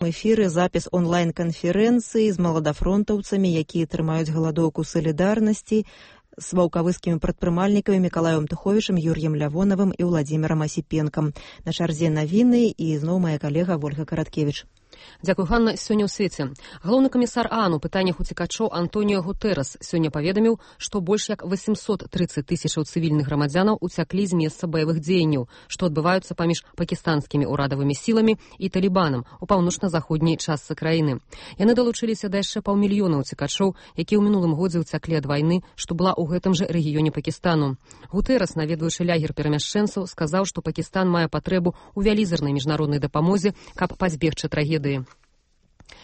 Эфіры запіс онлайн-канферэнцыі з маладафронтаўцамі, якія трымаюць галадоўку салідарнасці, з ваўкавыскімі прадпрымальнікамі Мікалаем Туховічам, Юр'ем Лявонавым і Владзімірам Асіпенкам. На чарзе навіны і зноў моя калега Вольга Караткевіч. Дзякуй, Ганна. Сёння ў свеце. Галоўны камісар ААН у пытаннях уцекачоў Антоніо Гутэрэс сёння паведаміў, што больш як 830 тысячаў цывільных грамадзянаў уцяклі з месца баявых дзеянняў, што адбываюцца паміж пакістанскімі ўрадавымі сіламі і талібанам у паўночна-заходняй частцы краіны. Яны далучыліся да яшчэ паўмільёна уцекачоў, якія ў мінулым годзе уцяклі ад вайны, што была ў гэтым жа рэгіёне Пакістану. Гутэрэс, наведваючы лагер перамяшчэнцаў, сказаў, што Пакістан мае патрэбу ў вялізарнай міжнароднай дапамозе, каб пазбегчы трагедыі.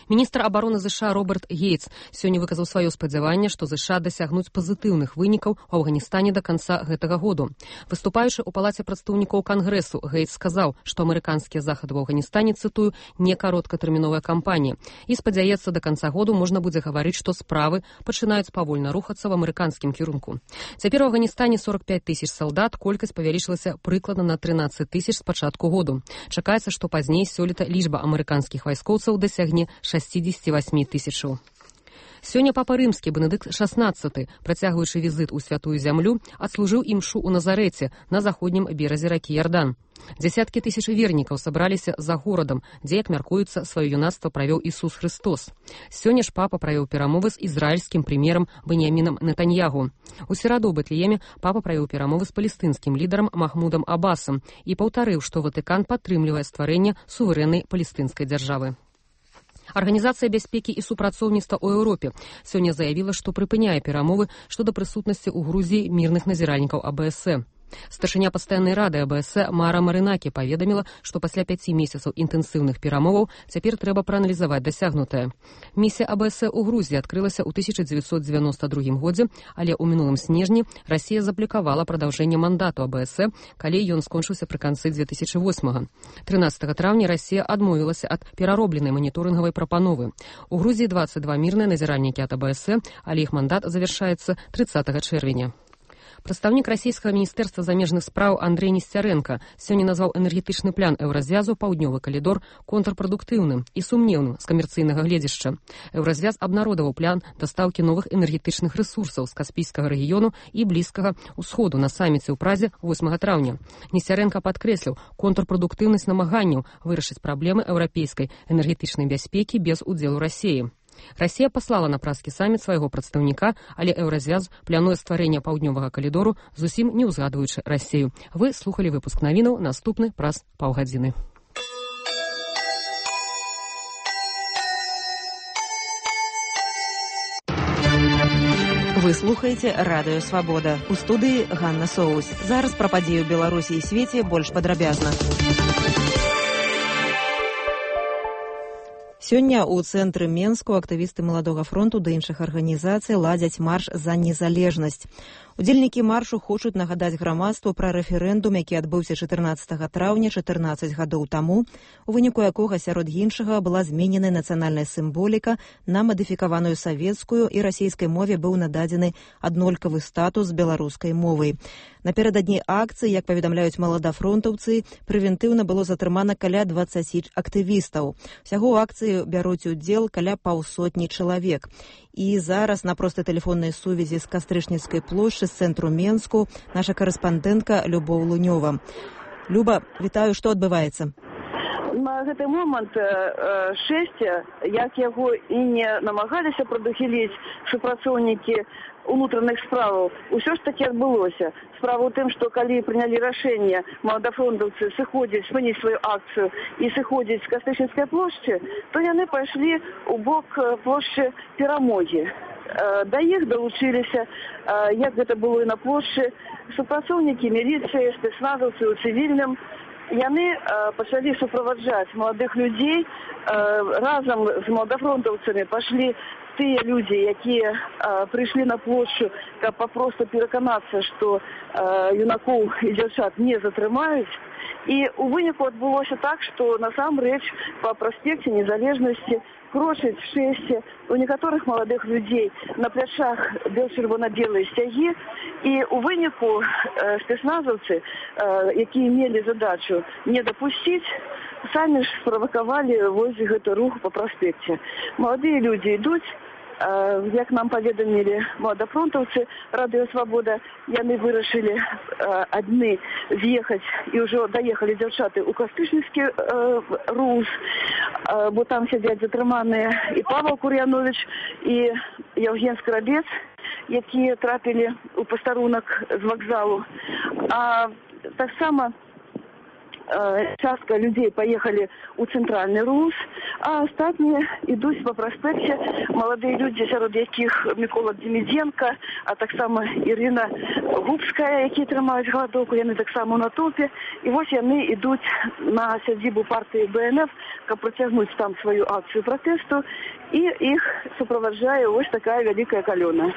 Міністр абароны ЗША Роберт Гейтс сёння выказаў сваё спадзяванне, што ЗША дасягнуць пазітыўных вынікаў у Афганістане да канца гэтага году. Выступаючы ў палаце прадстаўнікоў Кангрэсу, Гейтс сказаў, што амерыканскія захады ў Афганістане, цытую, не кароткатэрміновая кампанія. І спадзяецца, да канца году можна будзе гаварыць, што справы пачынаюць павольна рухацца в амерыканскім кірунку. Цяпер у Афганістане 45 тысяч салдат, колькасць павялічылася прыкладна на 13 тысяч з пачатку году. Чакаецца, што пазней сёлета лічба амерыканскіх вайскоўцаў дасягне 68 тысячаў. Сёння папа рымскі Бенедыкт XVI, працягваючы візіт у святую зямлю, адслужыў імшу ў Назарэце на заходнім беразе ракі Ярдан. Дзясяткі тысяч вернікаў сабраліся за горадам, дзе, як мяркуецца, сваё юнацтва правёў Ісус Христос. Сёння ж папа правёў перамовы з ізраільскім прэм'ерам Беньямінам Нетаньягу. У сераду ў Бэтлееме папа правёў перамовы з палестынскім лідарам Махмудам Абасам і паўтарыў, што Ватыкан падтрымлівае стварэнне суверэннай палестынскай дзяржавы. Арганізацыя бяспекі і супрацоўніцтва ў Еўропе сёння заявіла, што прыпыняе перамовы шчодо прысутнасці ў Грузіі мірных назіральнікаў АБС. Старшыня пастаяннай рады АБС Мара Марынакі паведаміла, што пасля 5 месяцаў інтэнсіўных перамоваў цяпер трэба прааналізаваць дасягнутае. Місія АБС у Грузіі адкрылася ў 1992 годзе, але ў мінулым снежні Расія заблокавала прадаўжэнне мандату АБС, калі ён скончыўся пры канцы 2008-го. 13 траўня Расія адмовілася ад пераробленай маніторынгавай прапановы. У Грузіі 22 мірныя назіральнікі ад АБС, але іх мандат завяршаецца 30 чэрвеня. Прадстаўнік расійскага міністэрства замежных спраў Андрэй Несцярэнка сёння назваў энергетычны план Еўразвязу паўднёвы калідор контрпрадуктыўным і сумнеўным з камерцыйнага гледзяшча. Еўразвяз абнародаваў план дастаўкі новых энергетычных рэсурсаў з Каспійскага рэгіёну і Блізкага ўсходу на саміце ў Празе 8 траўня. Несцярэнка падкрэсліў контрпрадуктыўнасць намаганняў вырашыць праблемы еўрапейскай энергетычнай бяспекі без удзелу Расіі. Расія паслала на празкі саміт свайго прадстаўніка, але Еўразвяз плануе стварэнне паўднёвага калідору, зусім не ўзгадваючы Расію. Вы слухалі выпуск навінаў, наступны праз паўгадзіны. Вы слухаеце Радыё Свабода. У студыі Ганна Соус. Зараз пра падзеі ў Беларусі і свеце больш падрабязна. Сёння ў цэнтры Менску актывісты Маладога фронту да іншых арганізацый ладзяць марш за незалежнасць. Удзельнікі маршу хочуць нагадаць грамадству пра рэферэндум, які адбыўся 14 траўня 14 гадоў таму, у выніку якога сярод іншага была змененая нацыянальная сімволіка на мадыфікаваную савецкую і расійскай мове быў нададзены аднолькавы статус беларускай мовай. Напярэдадні акцыі, як паведамляюць маладафронтаўцы, прэвентыўна было затрымана каля 20 актывістаў. Усяго ў акцыі бяруць удзел каля паўсотні чалавек. І зараз на простай тэлефоннай сувязі з Кастрычніцкай плошчы з цэнтру Менску наша карэспандэнтка Любоў Лунёва. Люба, вітаю, што адбываецца? На гэты момант шэсце, як яго і не намагаліся прадухіліць супрацоўнікі унутраных справаў, усё ж таки адбылося. Справа ў тым, што калі прынялі рашэнне маладафронтаўцы сыходзіць, спыніць сваю акцыю і сыходзіць з Кастрычніцкай плошчы, то яны пайшлі ў бок плошчы Перамогі. Да іх далучыліся, як гэта было і на плошчы, супрацоўнікі міліцыі, спецназаўцы ў цывільным. Яны пачалі суправаджаць маладых людзей, разам з маладафронтаўцамі пашлі тыя людзі, якія прыйшлі на плошчу, каб папросту пераканацца, што юнакоў і дзяўчат не затрымаюць. І у выніку адбылося так, што насамрэч па праспекце Незалежнасці крочыць шэсце у некаторых маладых людзей на плячах бел-чырвона-белыя сцягі. І у выніку спецназаўцы, якія мелі задачу не дапусціць, самі ж справакавалі вось гэты рух па праспекце. Маладыя людзі ідуць, як нам паведамілі маладафронтаўцы Радыё Свабода, яны вырашылі адны з'ехаць і ўжо даехалі дзяўчаты ў кастычніцкі РУС, бо там сядзяць затрыманыя і Павел Кур'янович, і Евген Скарабец, якія трапілі ў пастарунак з вакзалу. А таксама частка людзей паехалі ў цэнтральны РУС, а астатнія ідуць па праспекце. Маладыя людзі, сярод якіх Мікола Демідзенка, а таксама Ірына Губская, якія трымаюць галадоўку, яны таксама ў натоўпе. І вось яны ідуць на сядзібу партыі БНФ, каб працягнуць там сваю акцыю пратэсту, і іх суправаджае вось такая вялікая калёна.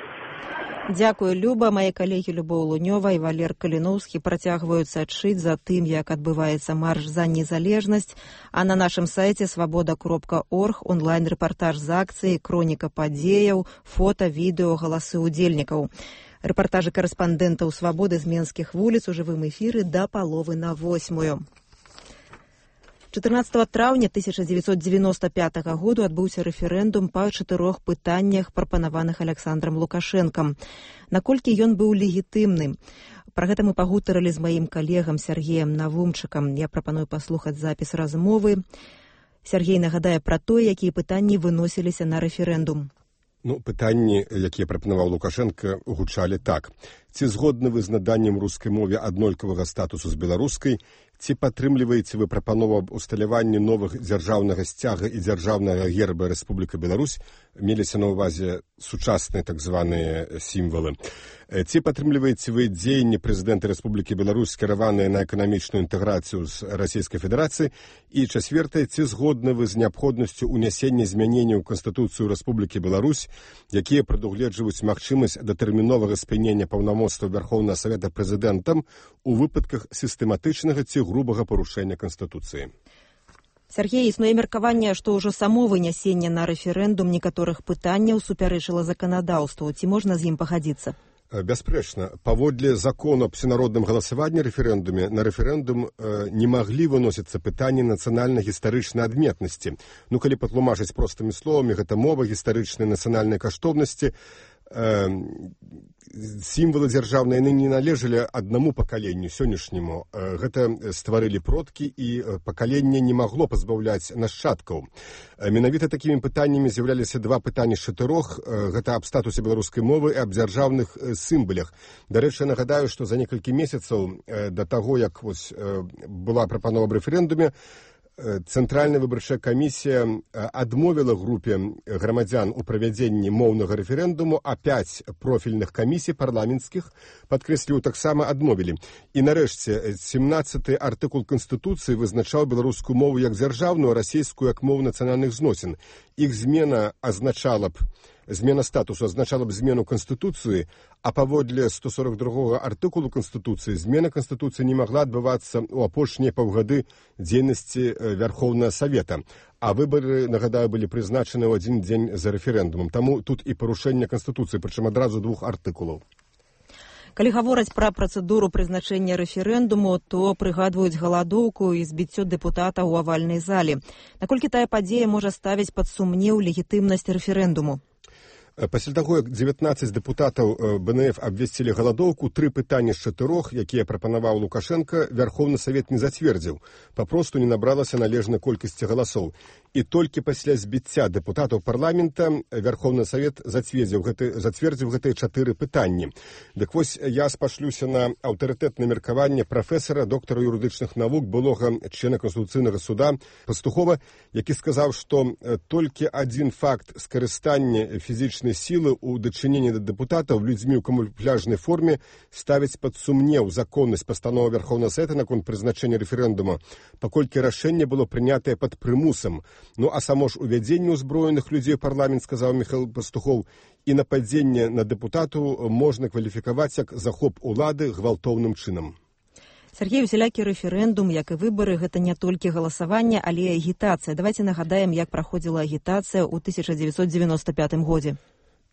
Дзякую, Люба. Мае калегі Любоў Лунёва і Валер Каліноўскі працягваюць сачыць за тым, як адбываецца марш за незалежнасць. А на нашым сайце свабода.орг онлайн-рэпартаж з акцыі, хроніка падзеяў, фота, відэо, галасы ўдзельнікаў. Рэпартажы карэспандэнтаў Свабоды з менскіх вуліц у жывым эфіры да 7:30. 14 траўня 1995 году адбыўся рэферэндум па 4 пытаннях, прапанаваных Аляксандрам Лукашэнкам. Наколькі ён быў легітымным? Пра гэта мы пагутарылі з маім калегам Сергеем Навумчыкам. Я прапаную паслухаць запіс размовы. Сергей нагадае пра тое, якія пытанні выносіліся на рэферэндум. Пытанні, якія прапанаваў Лукашенко, гучалі так. Ці згодны вы з наданнем рускай мове аднолькавага статусу з беларускай? Ці падтрымліваеце вы прапанову аб усталяванні новых дзяржаўнага сцяга і дзяржаўнага герба Рэспубліка Беларусь? Меліся на ўвазе сучасныя так званыя сімвалы. Ці падтрымліваеце вы дзеянні прэзідэнта Рэспублікі Беларусь, скіраваныя на эканамічную інтэграцыю з Расійскай Федэрацыі? І чацвёртае, ці згодны вы з неабходнасцю ўнясення змяненняў у Канстытуцыю Рэспублікі Беларусь, якія прадугледжваюць магчымасць датэрміновага спынення паўнамоцтва Вярхоўнага Савета прэзідэнтам у выпадках сістэматычнага ці грубага парушэння Канстытуцыі? Сергей, існуе меркаванне, што ўжо само вынясенне на рэферэндум некаторых пытанняў супярэчыла заканадаўству. Ці можна з ім пагадзіцца? Бясспрэчна. Паводле закону аб всенародным галасаванні рэферэндуме, на рэферэндум не маглі выносіцца пытанні нацыянальна-гістарычнай адметнасці. Калі патлумачыць простымі словамі, гэта мова, гістарычныя нацыянальныя каштоўнасці, сімвалы дзяржаўныя, яны не належалі аднаму пакаленню сённяшняму. Гэта стварылі продкі, і пакаленне не магло пазбаўляць нашчадкаў. Менавіта такімі пытаннямі з'яўляліся два пытанні з 4. Гэта аб статусе беларускай мовы і аб дзяржаўных сімвалях. Дарэчы, нагадаю, што за некалькі месяцаў да таго, як была прапанова аб рэферэндуме, Цэнтральная выбарчая камісія адмовіла групе грамадзян у правядзенні моўнага рэферэндуму, а 5 профільных камісій парламенцкіх, падкрэсліваю, таксама адмовілі. І нарэшце 17-й артыкул Канстытуцыі вызначаў беларускую мову як дзяржаўную, а расійскую як мову нацыянальных зносін. Іх змена статусу азначала б змену Канстытуцыі, а паводле 142 артыкулу Канстытуцыі змена Канстытуцыі не магла адбывацца ў апошнія паўгады дзейнасці Вярхоўнага Савета. А выбары, нагадаю, былі прызначаны ў адзін дзень за рэферэндумам. Таму тут і парушэнне Канстытуцыі, прычым адразу 2 артыкулаў. Калі гавораць пра працэдуру прызначэння рэферэндуму, то прыгадваюць галадоўку і збіццё дэпутата ў авальнай зале. Наколькі тая падзея можа ставіць пад сумнеў легітымнасць рэферэндуму? Пасля таго, як 19 дэпутатаў БНФ абвесцілі галадоўку, 3 пытанні з 4, якія прапанаваў Лукашенко, Вярхоўны Савет не зацвердзіў. Папросту не набралася належнай колькасці галасоў. І толькі пасля збіцця дэпутатаў парламента Вярхоўны Савет зацвердзіў гэтыя 4 пытанні. Дык вось я спашлюся на аўтарытэтнае меркаванне прафесара, доктара юрыдычных навук, былога члена Конституцыйнага суда Пастухова, які сказаў, што толькі адзін факт скарыстання фізічнай сілы ў дачыненні да дэпутатаў людзьмі ў камуфляжнай форме ставіць пад сумнеў законнасць пастановы Вярхоўнага Савета наконт прызначэння рэферэндума, паколькі рашэнне было прынятае пад прымусам, Ну а само ж увядзенне ўзброеных людзей ў парламент, сказаў Міхаіл Пастухоў, і нападзенне на дэпутату можна кваліфікаваць як захоп улады гвалтоўным чынам. Сергей, усялякі рэферэндум, як і выбары, гэта не толькі галасаванне, але і агітацыя. Давайте нагадаем, як праходзіла агітацыя ў 1995 годзе.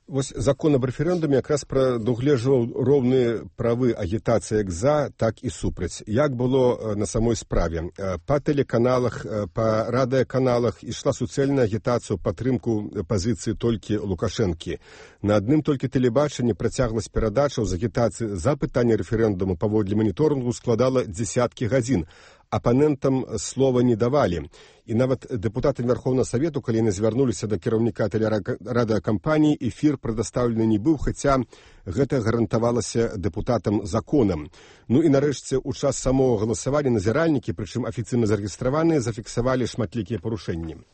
Вось закон аб рэферэндуме якраз прадугледжваў роўныя правы агітацыі як за, так і супраць. Як было на самой справе? Па тэлеканалах, па радыёканалах ішла суцэльная агітацыя ў падтрымку пазіцыі толькі Лукашэнкі. На адным толькі тэлебачанні працягласць перадачаў з агітацыі за пытанне рэферэндуму паводле маніторынгу складала дзесяткі гадзін. Апанентам слова не давалі. І нават дэпутатам Верховнага Савету, калі яны звярнуліся да кіраўніка тэлерадыёкампаніі, эфір прадастаўлены не быў, хаця гэта гарантавалася дэпутатам законам. Ну і нарэшце, у час самого галасавання назіральнікі, прычым афіцыйна зарэгістраваныя, зафіксавалі шматлікія парушэнні.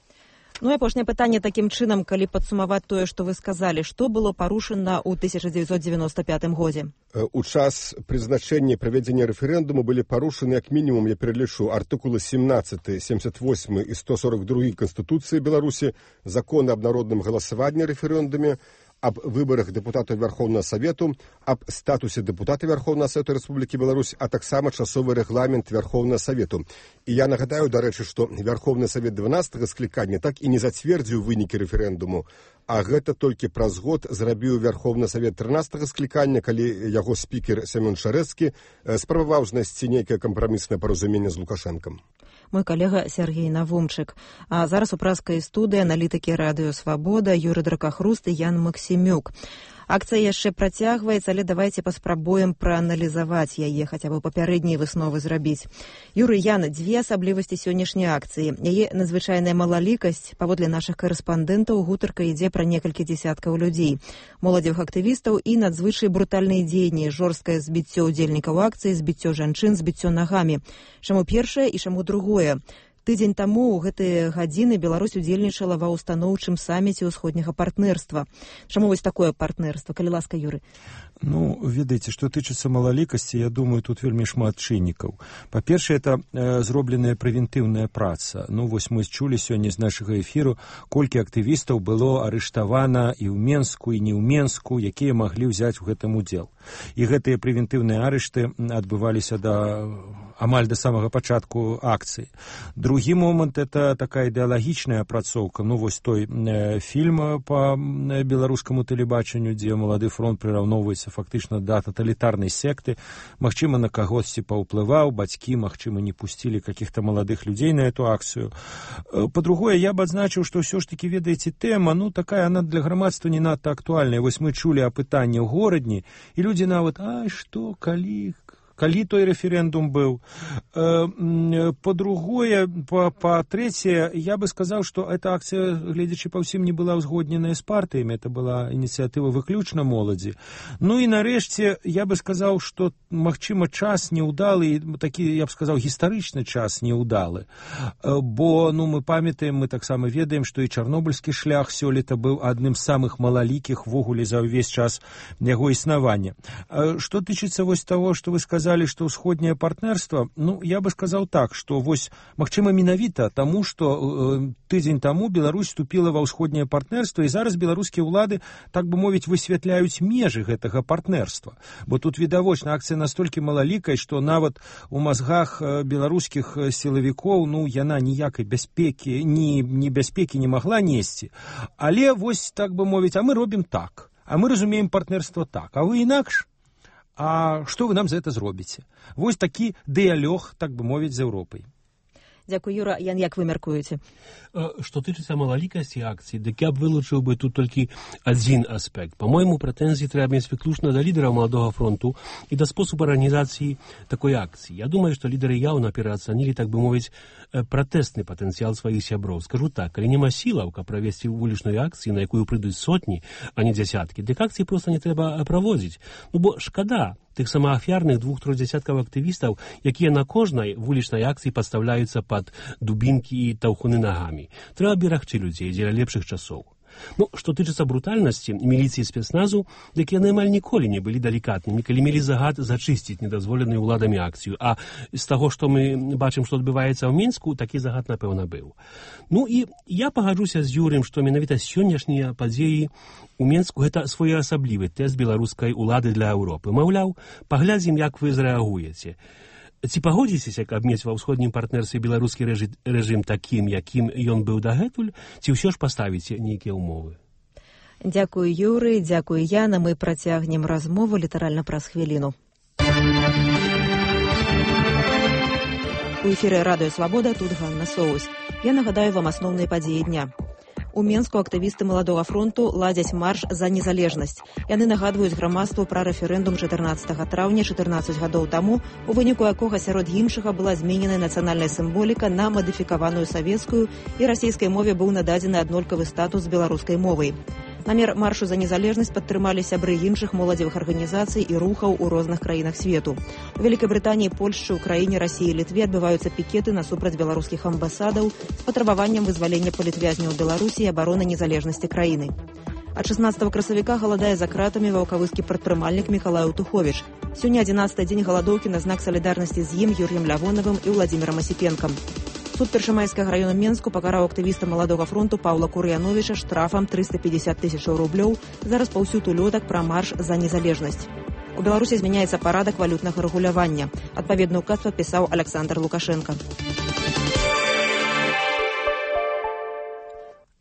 Ну і апошняе пытанне такім чынам, калі падсумаваць тое, што вы сказалі, што было парушана ў 1995 годзе? У час прызначэння правядзення рэферэндуму былі парушаны, як мінімум, я пералічу, артыкулы 17, 78 і 142 Канстытуцыі Беларусі, закон аб народным галасаванні рэферэндуме, аб выбарах дэпутатаў Верховнага Савету, аб статусе дэпутата Верховнага Савету Рэспублікі Беларусь, а таксама часовы рэгламент Верховнага Савету. І я нагадаю, дарэчы, што Верховны Савет 12-го склікання так і не зацвердзіў вынікі рэферэндуму, а гэта толькі праз год зрабіў Верховны Савет 13-го склікання, калі яго спікер Семён Шарэцкі спрабаваў знайсці нейкае кампраміснае паразуменне з Лукашэнкам. Мой калега Сергей Навумчык. А зараз у праскай студыі аналітыкі радыё «Свабода» Юрый Дракахруст і Ян Максімюк. Акцыя яшчэ працягваецца, але давайте паспрабуем прааналізаваць яе, хаця бы папярэднія высновы зрабіць. Юрый, Яна, дзве асаблівасці сённяшняй акцыі. Яе надзвычайная малалікасць, паводле нашых карэспандэнтаў, гутарка ідзе пра некалькі дзесяткаў людзей. Моладзевых актывістаў і надзвычай брутальныя дзеянні, жорсткае збіццё ўдзельнікаў акцыі, збіццё жанчын, збіццё нагамі. Чаму першае і чаму другое? Тыдзень таму ў гэтыя гадзіны Беларусь удзельнічала ва ўстаноўчым саміце ўсходняга партнерства. Чаму вось такое партнерство? Калі ласка, Юры. Ну, ведаеце, што тычыцца малалікасці, я думаю, тут вельмі шмат чыннікаў. Па-першае, это зробленая прэвентыўная праца. Ну, вось мы чулі сёння з нашага эфіру, колькі актывістаў было арыштавана і ў Менску, і не ў Менску, якія маглі ўзяць у гэтым удзел. І гэтыя прэвентыўныя арышты адбываліся амаль да самага пачатку акцыі. Другі момант – это такая ідэалагічная апрацоўка. Ну, вось той фільм па беларускаму тэлебачанню, дзе малады фронт прыраўноўваецца фактычна да таталітарнай секты. Магчыма, на кагосьці паўплываў, бацькі, магчыма, не пусцілі каких-то маладых людзей на эту акцыю. Па-другое, я б адзначыў, што ўсё ж такі, ведаеце, тэма, ну, такая, она для грамадства не надта актуальная. Вось мы чулі апытанне ў горадні, і людзі нават, што, калі той рэферэндум быў. Па-другое, па-трэцяе, я бы сказаў, што эта акцыя, гледзячы па ўсім, не была ўзгодненая з партыямі, это была ініцыятыва выключна моладзі. Ну і нарэшце, я бы сказаў, што, магчыма, час неўдалы, такі, я б сказаў, гістарычны час неўдалы. Бо, ну, мы памятаем, мы таксама ведаем, што і чарнобыльскі шлях сёлета быў адным з самых малалікіх ввогуле за ўвесь час яго існавання. Што тычыцца вось таго, што вы сказалі, што ўсходняе партнерство, ну, я бы сказаў так, што вось, магчыма, менавіта таму, што тыдзень таму Беларусь вступіла ва ўсходняе партнерство, і зараз беларускія ўлады, так бы мовіць, высвятляюць межы гэтага партнерства. Бо тут відавочна акцыя настолькі малалікая, што нават у мазгах беларускіх сілавікоў, ну, яна ніякай бяспекі, ні бяспекі не магла несці. Але вось, так бы мовіць, а мы робім так, а мы разумеем партнерство так, а вы інакш? А што вы нам за гэта зробіце? Вось такі дыялог, так бы мовіць, з Еўропай. Дзякуй, Юра. Ян, як вы мяркуеце? Што тычыцца малалікасці акцыі, дык я б вылучыў бы тут толькі адзін аспект. Па-мойму, прэтэнзіі трэба мець выключна да лідараў маладога фронту і да спосабу арганізацыі такой акцыі. Я думаю, што лідары яўна пераацанілі, так бы мовіць, пратэсны патэнцыял сваіх сяброў. Скажу так, калі няма сілаў, каб правесці вулічную акцыю, на якую прыйдуць сотні, а не дзясяткі, дык акцыі проста не трэба праводзіць. Ну, бо шкада тых самаафярных 2-3 дзясяткаў актывістаў, якія на кожнай вулічнай акцыі падстаўляюцца пад дубінкі і таўхуны нагамі. Трэба берагчы людзей дзеля лепшых часоў. Ну, што тычыцца брутальнасці міліцыі спецназу, дык яны амаль ніколі не былі далікатнымі, калі мелі загад зачысціць недазволеную ўладамі акцыю. А з таго, што мы бачым, што адбываецца ў Мінску, такі загад, напэўна, быў. Ну і я пагаджуся з Юрыем, што менавіта сённяшнія падзеі у Мінску гэта своеасаблівы тэст беларускай улады для Еўропы. Маўляў, паглядзім, як вы зрэагуеце. Ці пагодзіцеся, каб мець ва ўсходнім партнерстве беларускі рэжым такім, якім ён быў дагэтуль, ці ўсё ж паставіце нейкія ўмовы? Дзякую, Юрый, дзякую, Яна. Мы працягнем размову літаральна праз хвіліну. У эфіры Радыё Свабода, тут Ганна Соус. Я нагадаю вам асноўныя падзеі дня. У Менску актывісты Маладога фронту ладзяць марш за незалежнасць. Яны нагадваюць грамадству пра рэферэндум 14 траўня 14 гадоў таму, у выніку якога сярод іншага была змененая нацыянальная сімволіка на мадыфікаваную савецкую і расійскай мове быў нададзены аднолькавы статус з беларускай мовай. Намер маршу за незалежнасць падтрымалі сябры іншых моладзевых арганізацый і рухаў у розных краінах свету. У Вялікай Брытаніі, Польшчы, Украіне, Расіі і Літве адбываюцца пікеты насупраць беларускіх амбасадаў з патрабаваннем вызвалення палітвязняў Беларусі і абароны незалежнасці краіны. Ад 16 красавіка галадае за кратамі ваўкавыскі прадпрымальнік Мікалай Туховіч. Сёння 11-й дзень галадоўкі на знак салідарнасці з ім, Юрыем Лявонавым і Владзімірам Асіпенкам. Суд Першамайскага раёна Менску пакараў актывіста Маладога фронту Паўла Кур'яновіча штрафам 350 000 рублёў за распаўсюд улётак пра марш за незалежнасць. У Беларусі змяняецца парадак валютнага рэгулявання. Адпаведны ўказ падпісаў Аляксандр Лукашенка.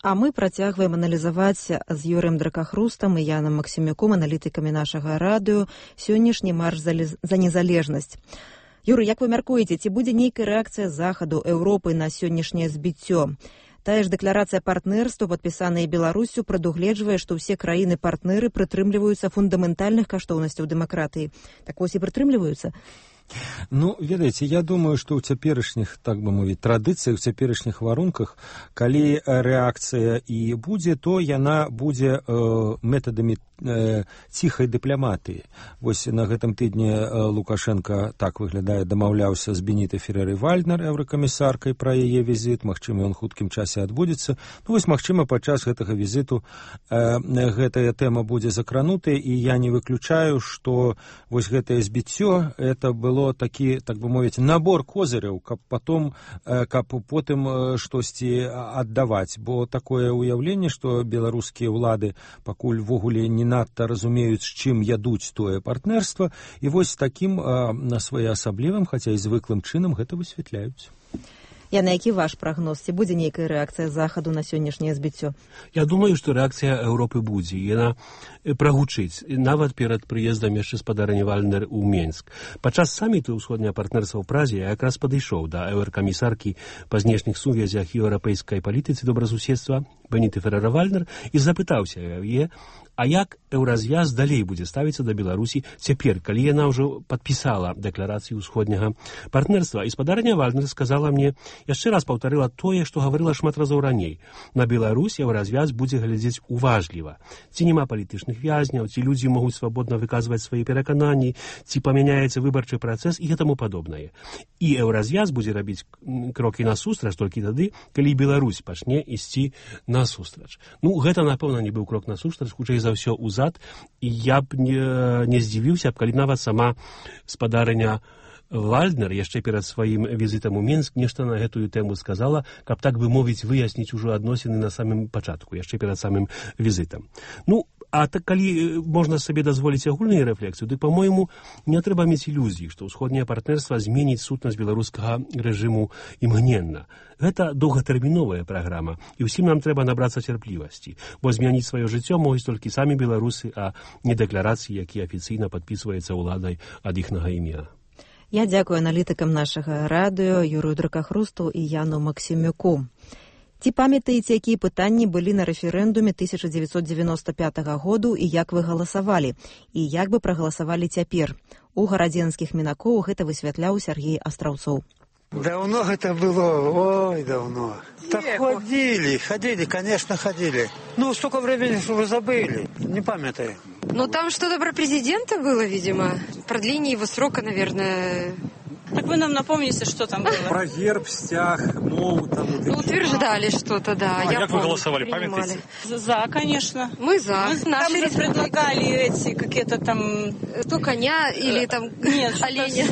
А мы працягваем аналізаваць з Юрыем Дракахрустам і Янам Максімюком, аналітыкамі нашага радыё, сённяшні марш за незалежнасць. Юрый, як вы мяркуеце, ці будзе нейкая рэакцыя Захаду, Еўропы на сённяшняе збіццё? Тая ж дэкларацыя партнерства, падпісаная Беларусю, прадугледжвае, што ўсе краіны-партнеры прытрымліваюцца фундаментальных каштоўнасцяў дэмакратыі. Так вось і прытрымліваюцца? Ну, ведаеце, я думаю, што ў цяперашніх, так бы мовіць, традыцыях, у цяперашніх варунках, калі рэакцыя і будзе, то яна будзе метадамі ціхай дыпламатыі. Вось на гэтым тыдні Лукашенко, так выглядае, дамаўляўся з Бенітай Ферреры-Вальднер, еўракамісаркай, пра яе візіт. Магчыма, ён хуткім часе адбудзецца. Ну, вось, магчыма, падчас гэтага візіту гэтая тэма будзе закранутая, і я не выключаю, што вось гэтае збіццё, это было такі, так бы мовіць, набор козыряў, каб потым штосьці аддаваць. Бо такое ўяўленне, што беларускія ўлады пакуль ввогуле не надта разумеюць, з чым ядуць тое партнерства, і вось такім своеасаблівым, хаця і звыклым чынам гэта высвятляюць. Яна, які ваш прагноз? Ці будзе нейкая рэакцыя Захаду на сённяшняе збіццё? Я думаю, што рэакцыя Еўропы будзе. Яна прагучыць, нават перад прыездам яшчэ спадарні Вальнер у Менск. Падчас саміту ўсходняе партнерства ў Празе я якраз падышоў да еўракамісаркі па знешніх сувязях і еўрапейскай палітыцы добразуседства Беніты Феррера-Вальнер і запытаўся яе, а як еўразвяз далей будзе ставіцца да Беларусі цяпер, калі яна ўжо падпісала дэкларацыю ўсходняга партнерства. І спадарня Вальнер сказала мне, яшчэ раз паўтарыла тое, што гаварыла шмат разоў раней. На Беларусь еўразвяз будзе глядзець уважліва. Ці няма палітычных вязняў, ці людзі могуць свабодна выказваць свае перакананні, ці памяняецца выбарчы працэс і гэтаму падобнае. І еўразвяз будзе рабіць крокі насустрач толькі тады, калі Беларусь пачне ісці насустрач. Ну, гэта, напэўна, не быў крок насустрач, хутчэй за ўсё ўзад, і я б не здзівіўся, калі нават сама спадарыня Вальднер яшчэ перад сваім візітам у Мінск нешта на гэтую тэму сказала, каб, так бы мовіць, выясніць ужо адносіны на самым пачатку, яшчэ перад самым візітам. Ну, а так, калі можна сабе дазволіць агульную рэфлексію, дык, па-мойму, не трэба мець ілюзій, што ўсходняе партнерства зменіць сутнасць беларускага рэжыму імгненна. Гэта доўгатэрміновая праграма, і ўсім нам трэба набрацца цярплівасці, бо змяніць сваё жыццё могуць толькі самі беларусы, а не дэкларацыі, якія афіцыйна падпісваецца ўладай ад іхнага імя. Я дзякую аналітыкам нашага радыё Юрыю Дракахрусту і Яну Максімюку. Ці памятаеце, якія пытанні былі на рэферэндуме 1995 году і як вы галасавалі? І як бы прагаласавалі цяпер? У гарадзенскіх мінакоў гэта высвятляў Сергей Астраўцоў. Давно это было, ой, давно. Так ходили, конечно, ходили. Ну, столько времени, что вы забыли, не памятаю. Ну, там что-то про президента было, видимо. Продление его срока, наверное. Так вы нам напомните, что там было. Про герб, стяг, мову там. Утверждали что-то, да. Как вы голосовали, памятаете? За, конечно. Мы за. Там же предлагали эти какие-то там... То коня или там оленя.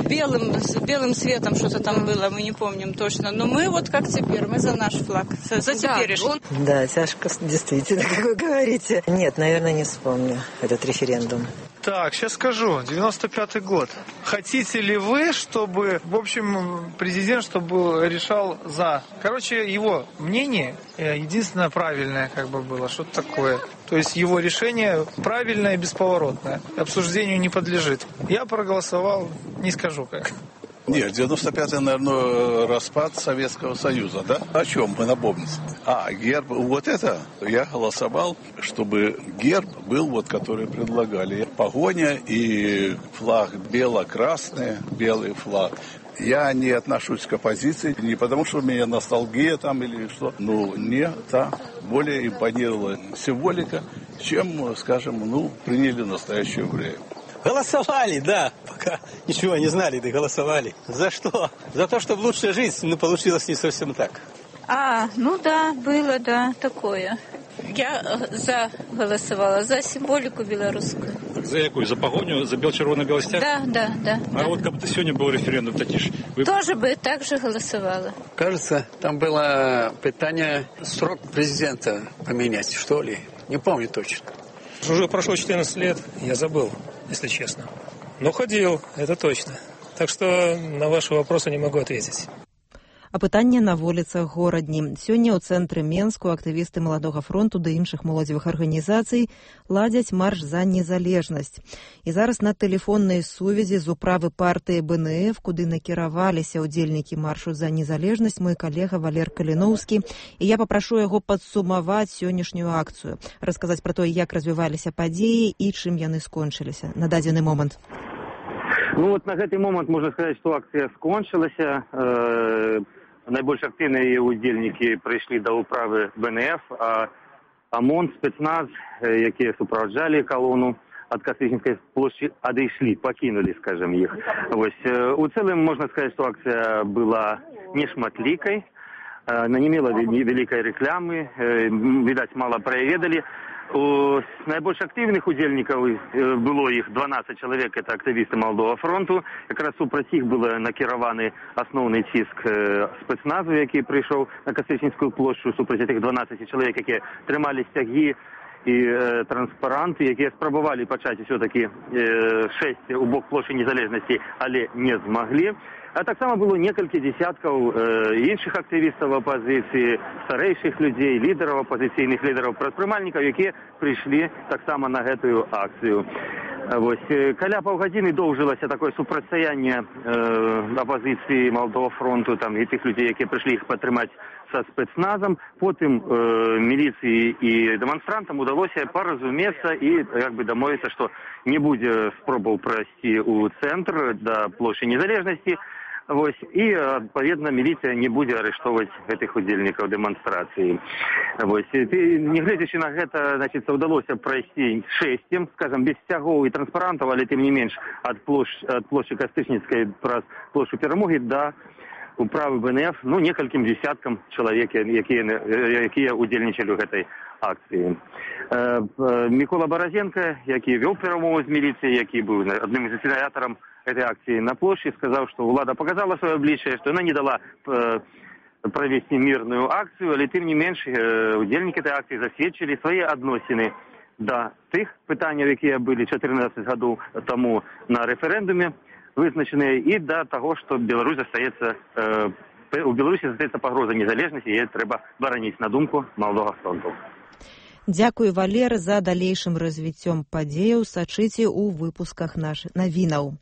С белым цветом что-то там было, мы не помним точно. Но мы вот как теперь, мы за наш флаг, за теперешний. Да, тяжко, действительно, как вы говорите. Нет, наверное, не вспомню этот референдум. Так, сейчас скажу. 95-й год. Хотите ли вы, чтобы, в общем, президент, чтобы решал за? Короче, его мнение единственное правильное как бы было. Что-то такое. То есть его решение правильное и бесповоротное. Обсуждению не подлежит. Я проголосовал, не скажу как. Нет, 95-й, наверное, распад Советского Союза, да? О чем мы напомним? Герб, вот это я голосовал, чтобы герб был вот, который предлагали. Погоня и флаг бело-красный, белый флаг. Я не отношусь к оппозиции, не потому что у меня ностальгия там или что. Но мне та более импонировала символика, чем, скажем, приняли настоящее время. Голосовали, да, пока ничего не знали, да голосовали. За что? За то, чтобы лучше жить, но получилось не совсем так. Да, было, да, такое. Я голосовала за символику белорусскую. За какую? За погоню, за червоно-белый стяг? Да. Вот как бы сегодня был референдум, вы... Тоже бы так же голосовала. Кажется, там было питание срок президента поменять, что ли. Не помню точно. Уже прошло 14 лет, я забыл, если честно. Но ходил, это точно. Так что на ваши вопросы не могу ответить. Апытанне на вуліцах горадні. Сёння ў цэнтры Менску актывісты Маладога фронту ды іншых моладзевых арганізацый ладзяць марш за незалежнасць. І зараз на тэлефоннай сувязі з управы партыі БНФ, куды накіраваліся ўдзельнікі маршу за незалежнасць, мой калега Валер Каліноўскі. І я папрашу яго падсумаваць сённяшнюю акцыю, расказаць пра тое, як развіваліся падзеі і чым яны скончыліся на дадзены момант. На гэты момант можна сказаць, што акцыя скончылася. Найбольш актыўныя удзельнікі прыйшлі да ўправы БНФ, а ОМОН, спецназ, якія суправаджалі калону ад Кастрычніцкай плошчы, адышлі, пакінулі, скажем, іх. У цэлым можна сказаць, што акцыя была нешматлікай, не мела вялікай рэкламы, відаць, мала пра яе ведалі. У найбольш актыўных удзельнікаў было іх 12 чалавек, это актывісты Маладога фронту. Якраз супраць іх было накіраваны асноўны ціск спецназу, які прыйшоў на Кастрычніцкую плошчу, супраць этих 12 чалавек, якія трымалі сцягі і транспаранты, якія спрабавалі пачаць усё-такі шэсце ў бок плошчы незалежнасці, але не змаглі. А таксама было некалькі дзесяткаў іншых актывістаў апазіцыі, старэйшых людзей, лідараў, апазіцыйных лідараў, прадпрымальнікаў, якія прыйшлі таксама на гэтую акцыю. Каля паўгадзіны доўжылася такое супрацьстаянне апазіцыі Маладога фронту і тых людзей, якія прыйшлі іх падтрымаць са спецназам. Потым міліцыі і дэманстрантам удалося паразумецца і дамовіцца, што не будзе спробаў прайсці ў цэнтр да плошчы незалежнасці. І, адпаведна, міліцыя не будзе арыштоўваць гэтых удзельнікаў дэманстрацыі. Нягледзячы на гэта, удалося прайсці шэсцем, скажам, без сцягоў і транспарантаў, але тым не менш ад плошчы Кастрычніцкай праз плошчу Перамогі да управы БНФ, некалькім дзесяткам чалавек, якія удзельнічалі ў гэтай акцыі. Мікола Баразенка, які вёў перамовы з міліцыяй, які быў адным з ініцыятарам этой акции на площади, сказал, что влада показала свое обличие, что она не дала провести мирную акцию, але тем не меньше удельники этой акции засведчили свои адносіны до тых пытанняў, якія былі 14 гадоў тому на референдуме вызначеныя, и до того, что у Беларуси застаецца пагроза незалежнасці, і яе трэба бараніць, на думку Маладога фронту. Дзякуй, Валер, за далейшым развіццём падзеяў. Сачыце ў выпусках нашых навінаў.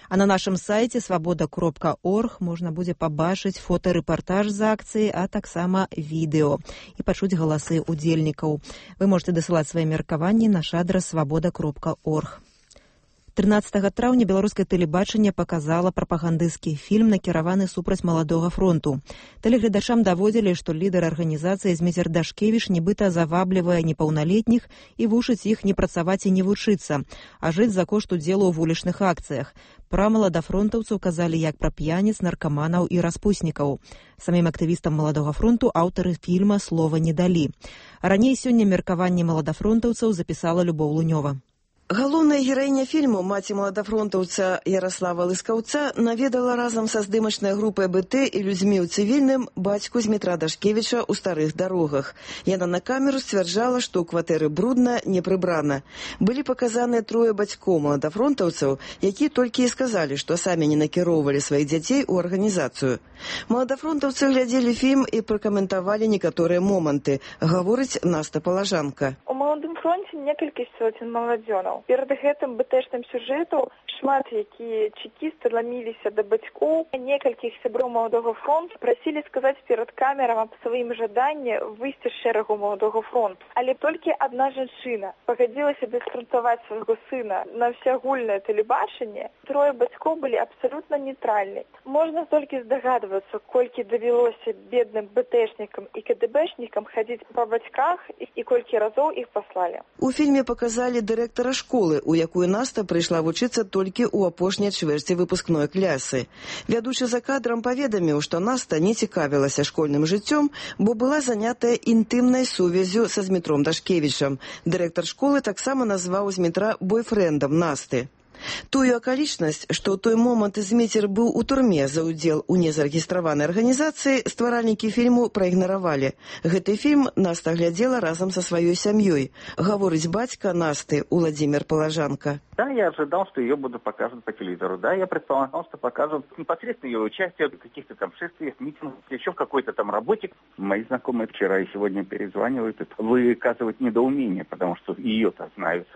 А на нашым сайце свабода.орг можна будзе пабачыць фотарэпартаж з акцыі, а таксама відэо і пачуць галасы удзельнікаў. Вы можете дасылаць свае меркаванні на наш адрас свабода.орг. 13 траўня беларускае тэлебачанне паказала прапагандысцкі фільм, накіраваны супраць маладога фронту. Тэлегледачам даводзілі, што лідар арганізацыі Зміцер Дашкевіч нібыта заваблівае непаўналетніх і вучыць іх не працаваць і не вучыцца, а жыць за кошт удзелу ў вулічных акцыях. Пра маладафронтаўцаў казалі як пра п'яніц, наркаманаў і распуснікаў. Самім актывістам маладога фронту аўтары фільма слова не далі. Раней сёння меркаванне маладафронтаўцаў запісала Любоў Лунёва. Галоўная гераіня фільму, маці маладафронтаўца Яраслава Лыскаўца, наведала разам са здымачнай групай БТ і людзьмі ў цывільным бацьку Змітра Дашкевіча ў старых дарогах. Яна на камеру сцвярджала, што ў кватэры брудна, не прыбрана. Былі паказаныя трое бацькоў маладафронтаўцаў, якія толькі і сказалі, што самі не накіроўвалі сваіх дзяцей у арганізацыю. Маладафронтаўцы глядзелі фільм і пракаментавалі некаторыя моманты, гаворыць Наста Палажанка. У маладым фронце некалькі соцень маладзёнаў. Перад гэтым бэтэшным сюжэту шмат якія чекісты ламіліся да бацькоў. Некалькіх сяброў маладога фронту прасілі сказаць перад камерам аб сваім жаданні выйсці з шэрагу маладога фронту. Але толькі адна жанчына пагадзілася бесфронтаваць свайго сына на ўсеагульнае тэлебачанне. Трое бацькоў былі абсалютна нейтральны. Можна толькі здагадвацца, колькі давялося бедным бэтэшнікам і КДБшнікам хадзіць па бацьках і колькі разоў іх паслалі. У фільме паказалі дырэктара школы, у якую Наста прыйшла вучыцца толькі ў апошняй чвэрці выпускной клясы. Вядучы за кадрам паведаміў, што Наста не цікавілася школьным жыццём, бо была занятая інтымнай сувяззю са Змітром Дашкевічам. Дырэктар школы таксама назваў Змітра бойфрэндам Насты. Тую акалічнасць, што ў той момант Зміцер быў у турме за ўдзел у незарэгістраванай арганізацыі, стваральнікі фільму праігнаравалі. Гэты фільм Наста глядзела разам са сваёй сям'ёй, гаворыць бацька Насты Уладзімир Палажанка. Да, я ожидал, что ее будут показывать по телевизору. Да, я предполагал, что покажут непосредственно ее участие в каких-то там шествиях, митингах, еще в какой-то там работе. Мои знакомые вчера и сегодня перезванивают, выказывают недоумение, потому что ее-то знают.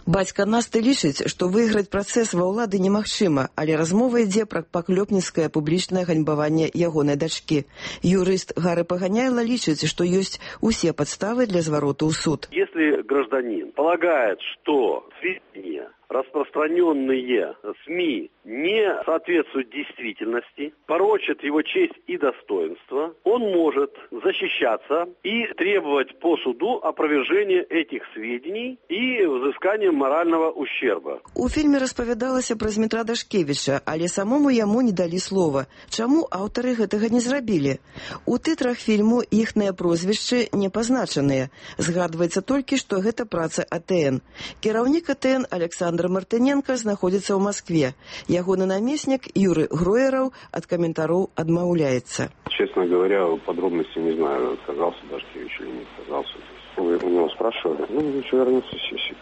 Бацька Насты лічыць, што выйграць працэс ва ўлады немагчыма, але размова ідзе пра паклёпніцкае публічнае ганьбаванне ягонай дачкі. Юрыст Гары Паганяйла лічыць, што ёсць усе падставы для звароту ў суд. Если гражданин полагает, что сведения, распространенные СМИ, не соответствуют действительности, порочат его честь и достоинство, он может защищаться и требовать по суду опровержения этих сведений и взыскания морального ущерба. У фільме распавядалася пра Змітра Дашкевіча, але самому яму не далі слова. Чаму аўтары гэтага не зрабілі? У тытрах фільму іхныя прозвішчы не пазначаныя. Згадваецца толькі, што гэта праца АТН. Кіраўнік АТН Александр Мартыненко знаходзіцца ў Маскве. Ягоны намеснік Юры Гроераў ад каментароў адмаўляецца. Честно говоря, подробности не знаю, отказался Дашкевич или не отказался. Вы у него спрашивали? Ничего, вернется с сессии.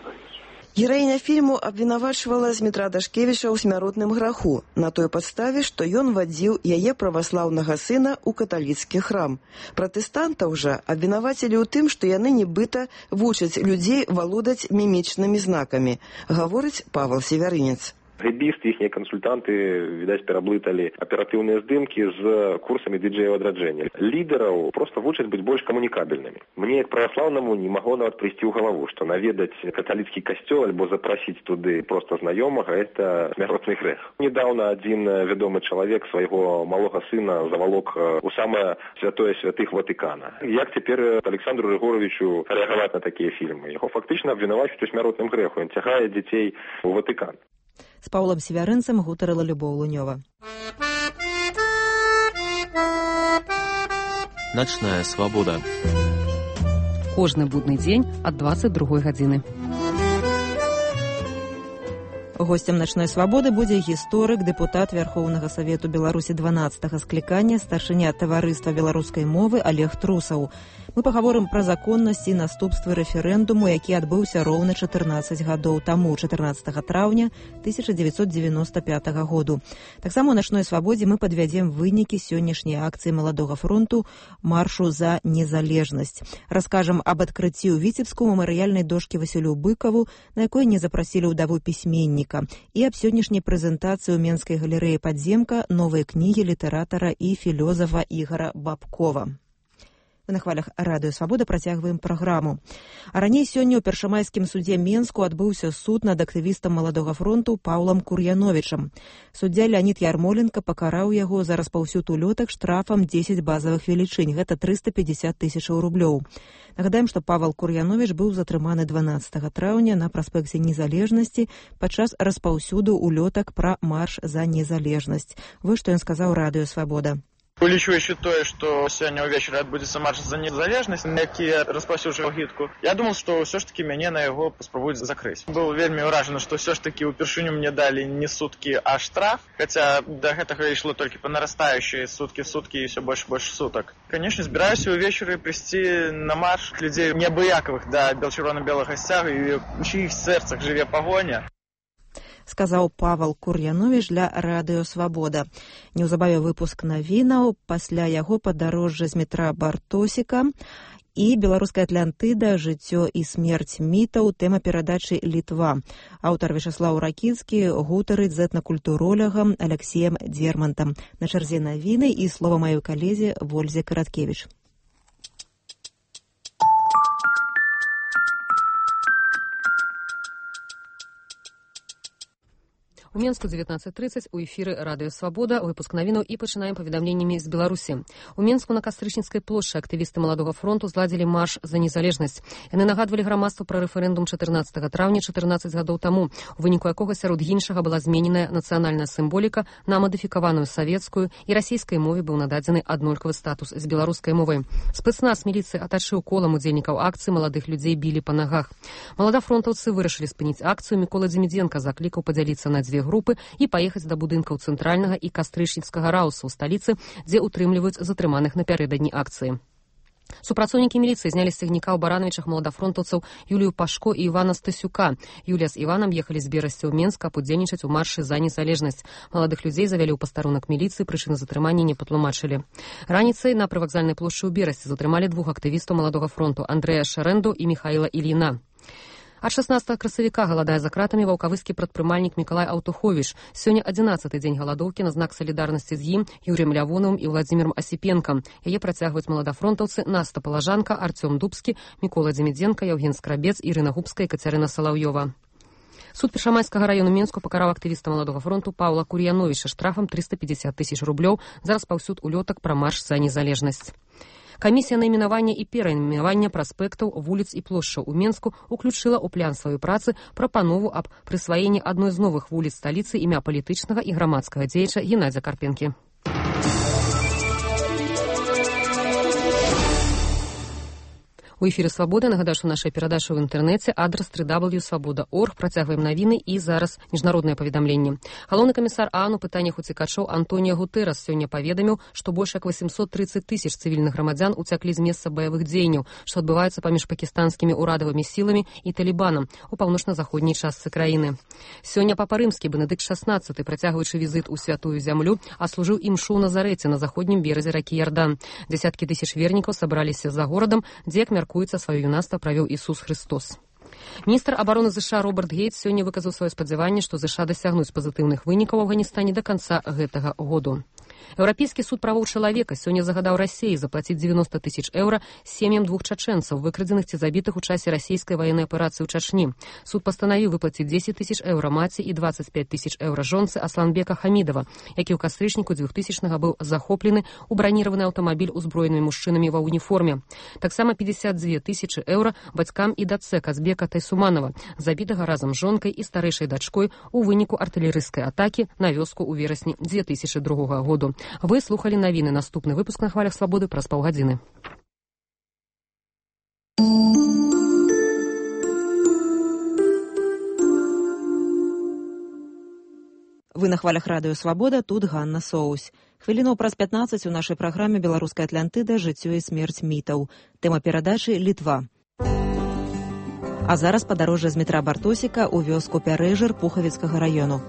Гераіня фільму абвінавачвала Змітра Дашкевіча ў смяротным граху на той падставе, што ён вадзіў яе праваслаўнага сына ў каталіцкі храм. Пратэстантаў жа абвінавацілі ў тым, што яны нібыта вучаць людзей валодаць мімічнымі знакамі, гаворыць Павел Севярынец. Гэбісты, іхнія кансультанты, відаць, пераблыталі аператыўныя здымкі з курсамі дыджэяў адраджэння. Лідараў проста вучаць быць больш камунікабельнымі. Мне, як праваслаўнаму, не магло нават прыйсці ў галаву, што наведаць каталіцкі касцёл альбо запрасіць туды проста знаёмага – это смяротны грэх. Недаўна адзін вядомы чалавек свайго малога сына завалок у самае святое святых Ватыкана. Як цяпер Александру Рыгоровичу рэагаваць на такія фільмы? Яго фактычна абвінавачваюць у смяротным грэху. Ён цягае дзяцей у Ватыкан. З Паўлам Севярынцам гутарыла Любоў Лунёва. Начная свабода. Кожны будны дзень ад 22 гадзіны. Гостем «Начной свабоды» будзе гісторык, дэпутат Вярхоўнага Савету Беларусі 12-га склікання, старшыня таварыства беларускай мовы Олег Трусаў. Мы пагаворым пра законнасць і наступствы рэферэндуму, які адбыўся роўна 14 гадоў таму, 14 траўня 1995 году. Таксама ў «Начной свабодзе» мы падвядзем вынікі сённяшняй акцыі маладога фронту «Маршу за незалежнасць». Раскажам аб адкрыцці ў Віцебску мемарыяльнай дошкі Васілю Быкаву, на якой не запрасілі ўдаву пісьменніка, і аб сённяшняй прэзентацыі ў Менскай галерэі «Падземка» новай кнігі літаратара і філёзафа Ігара Бабкова. Мы на хвалях радыё Свабода працягваем праграму. А раней сёння ў першамайскім судзе Менску адбыўся суд над актывістам Маладога фронту Паўлам Кур'яновічам. Суддзя Леонід Ярмоленко пакараў яго за распаўсюд улётак штрафам 10 базавых велічынь, гэта 350 тысячаў рублёў. Нагадаем, што Павел Кур'яновіч быў затрыманы 12 траўня на праспекце Незалежнасці падчас распаўсюду улётак пра марш за незалежнасць. Вось што ён сказаў радыё Свабода. Улічваючы тое, што сёння ўвечары адбудзецца марш за незалежнасць, на які распаўсюджваў агітку, я думал, што ўсё ж такі мяне на яго паспрабуюць закрыць. Быў вельмі ўражаны, што ўсё ж такі ўпершыню мне далі не суткі, а штраф, хаця да гэтага ішло толькі па нарастаючай суткі в суткі і ўсё больш і больш сутак. Канешне, збіраюся ўвечары прыйсці на марш людзей неабыякавых да чырвона-белага сцягу, і ў чыіх сэрцах жыве пагоня. Сказаў Павел Кур'яновіч для радыё Свабода. Неўзабаве выпуск навінаў, пасля яго падарожжа з метра Бартосіка і беларуская Атлантыда, жыццё і смерць мітаў, тэма перадачы Літва. Аўтар Вячаслаў Ракіцкі гутарыць з этнакультуролягам Аляксеем Дзермантам. На чарзе навіны і слова маёй калезе Вользе Караткевіч. У Менску 19:30 у эфіры радыё Свабода, выпуск навінаў і пачынаем паведамленнямі з Беларусі. У Менску на Кастрычніцкай плошчы актывісты Маладога фронту зладзілі марш за незалежнасць. Яны нагадвалі грамадству пра рэферэндум 14 траўня 14 гадоў таму, у выніку якога сярод іншага была змененая нацыянальная сімволіка на мадыфікаваную савецкую, і расійскай мове быў нададзены аднолькавы статус з беларускай мовай. Спецназ міліцыі атачыў колам удзельнікаў акцыі, маладых людзей білі па нагах. Маладафронтаўцы вырашылі спыніць акцыю. Мікола Дземідзенка заклікаў падзяліцца на дзве групы і паехаць да будынкаў цэнтральнага і кастрычніцкага рауса ў сталіцы, дзе утрымліваюць затрыманых напярэдадні акцыі. Супрацоўнікі міліцыі знялі з цягніка ў Барановічах маладафронтаўцаў Юлію Пашко і Івана Стасюка. Юлія з Іванам ехалі з Берасця ў Менск, каб удзельнічаць у маршы за незалежнасць. Маладых людзей завялі ў пастарунак міліцыі, прычыны затрымання не патлумачылі. Раніцай на прывакзальнай плошчы ў Берасці затрымалі двух актывістаў Маладога фронту Андрэя Шарэнду і Міхаіла Ільіна. Ад 16 красавіка галадае за кратамі ваўкавыскі прадпрымальнік Мікалай Аўтуховіч. Сёння 11-й дзень галадоўкі на знак салідарнасці з ім, Юрыем Лявонавым і Владзімірам Асіпенкам. Яе працягваюць маладафронтаўцы Наста Палажанка, Арцём Дубскі, Мікола Дземідзенка, Яўген Скрабец, Ірына Губская і Кацярына Салаўёва. Суд Першамайскага раёну Менску пакараў актывіста Маладога фронту Паўла Кур'яновіча штрафам 350 тысяч рублёў за распаўсюд улётак пра марш за незалежнасць. Камісія найменавання і перайменавання праспектаў, вуліц і плошчаў у Менску уключыла ў план сваёй працы прапанову аб прысваенні адной з новых вуліц сталіцы імя палітычнага і грамадскага дзеяча Геннадзя Карпенкі. У эфіры Свабода. Нагадаю, што нашая перадача ў інтэрнэце, адрас www.swaboda.org. Працягваем навіны і зараз міжнароднае паведамленне. Галоўны камісар ААН у пытаннях уцікачоў Антоніо Гутэрэс сёння паведаміў, што больш як 830 тысяч цывільных грамадзян уцяклі з месца баявых дзеянняў, што адбываецца паміж пакістанскімі ўрадавымі сіламі і талібанам у паўночна-заходняй частцы краіны. Сёння папа рымскі Бенедыкт XVI, працягваючы візіт у святую зямлю, аслужыў імшу ў Назарэце на заходнім беразе ракі Ярдан. Дзясяткі тысяч вернікаў сабраліся за горадам, дзе, як сваё юнацтва правёў Ісус Христос. Міністр абароны ЗША Роберт Гейтс сёння выказаў сваё спадзяванне, што ЗША дасягнуць пазітыўных вынікаў у Афганістане да канца гэтага году. Еўрапейскі суд правоў чалавека сёння загадаў Расіі заплаціць 90 тысяч еўра сем'ям двух чачэнцаў, выкрадзеных ці забітых у часе расійскай ваеннай аперацыі ў Чачні. Суд пастанавіў выплаціць 10 тысяч еўра маці і 25 тысяч еўра жонцы Асланбека Хамідова, які ў кастрычніку 2000-га быў захоплены ў браніраваны аўтамабіль узброенымі мужчынамі ва уніформе. Таксама 52 тысячы еўра бацькам і дачцэ Казбека Тайсуманова, забітага разам з жонкай і старэйшай дачкой у выніку артылерыйскай атакі на вёску ў верасні 2002 году. Вы слухали навіны. Наступны выпуск на хвалях Свабоды праз паўгадзіны. Вы на хвалях радыё Свабода, тут Ганна Соусь. Хвілінаў праз 15 у нашай праграме «Беларуская Атлантыда. Жыццё і смерць мітаў». Тэма перадачы «Літва». А зараз падарожжа з метра Бартосіка ў вёску Пярэжыр Пухавіцкага раёну.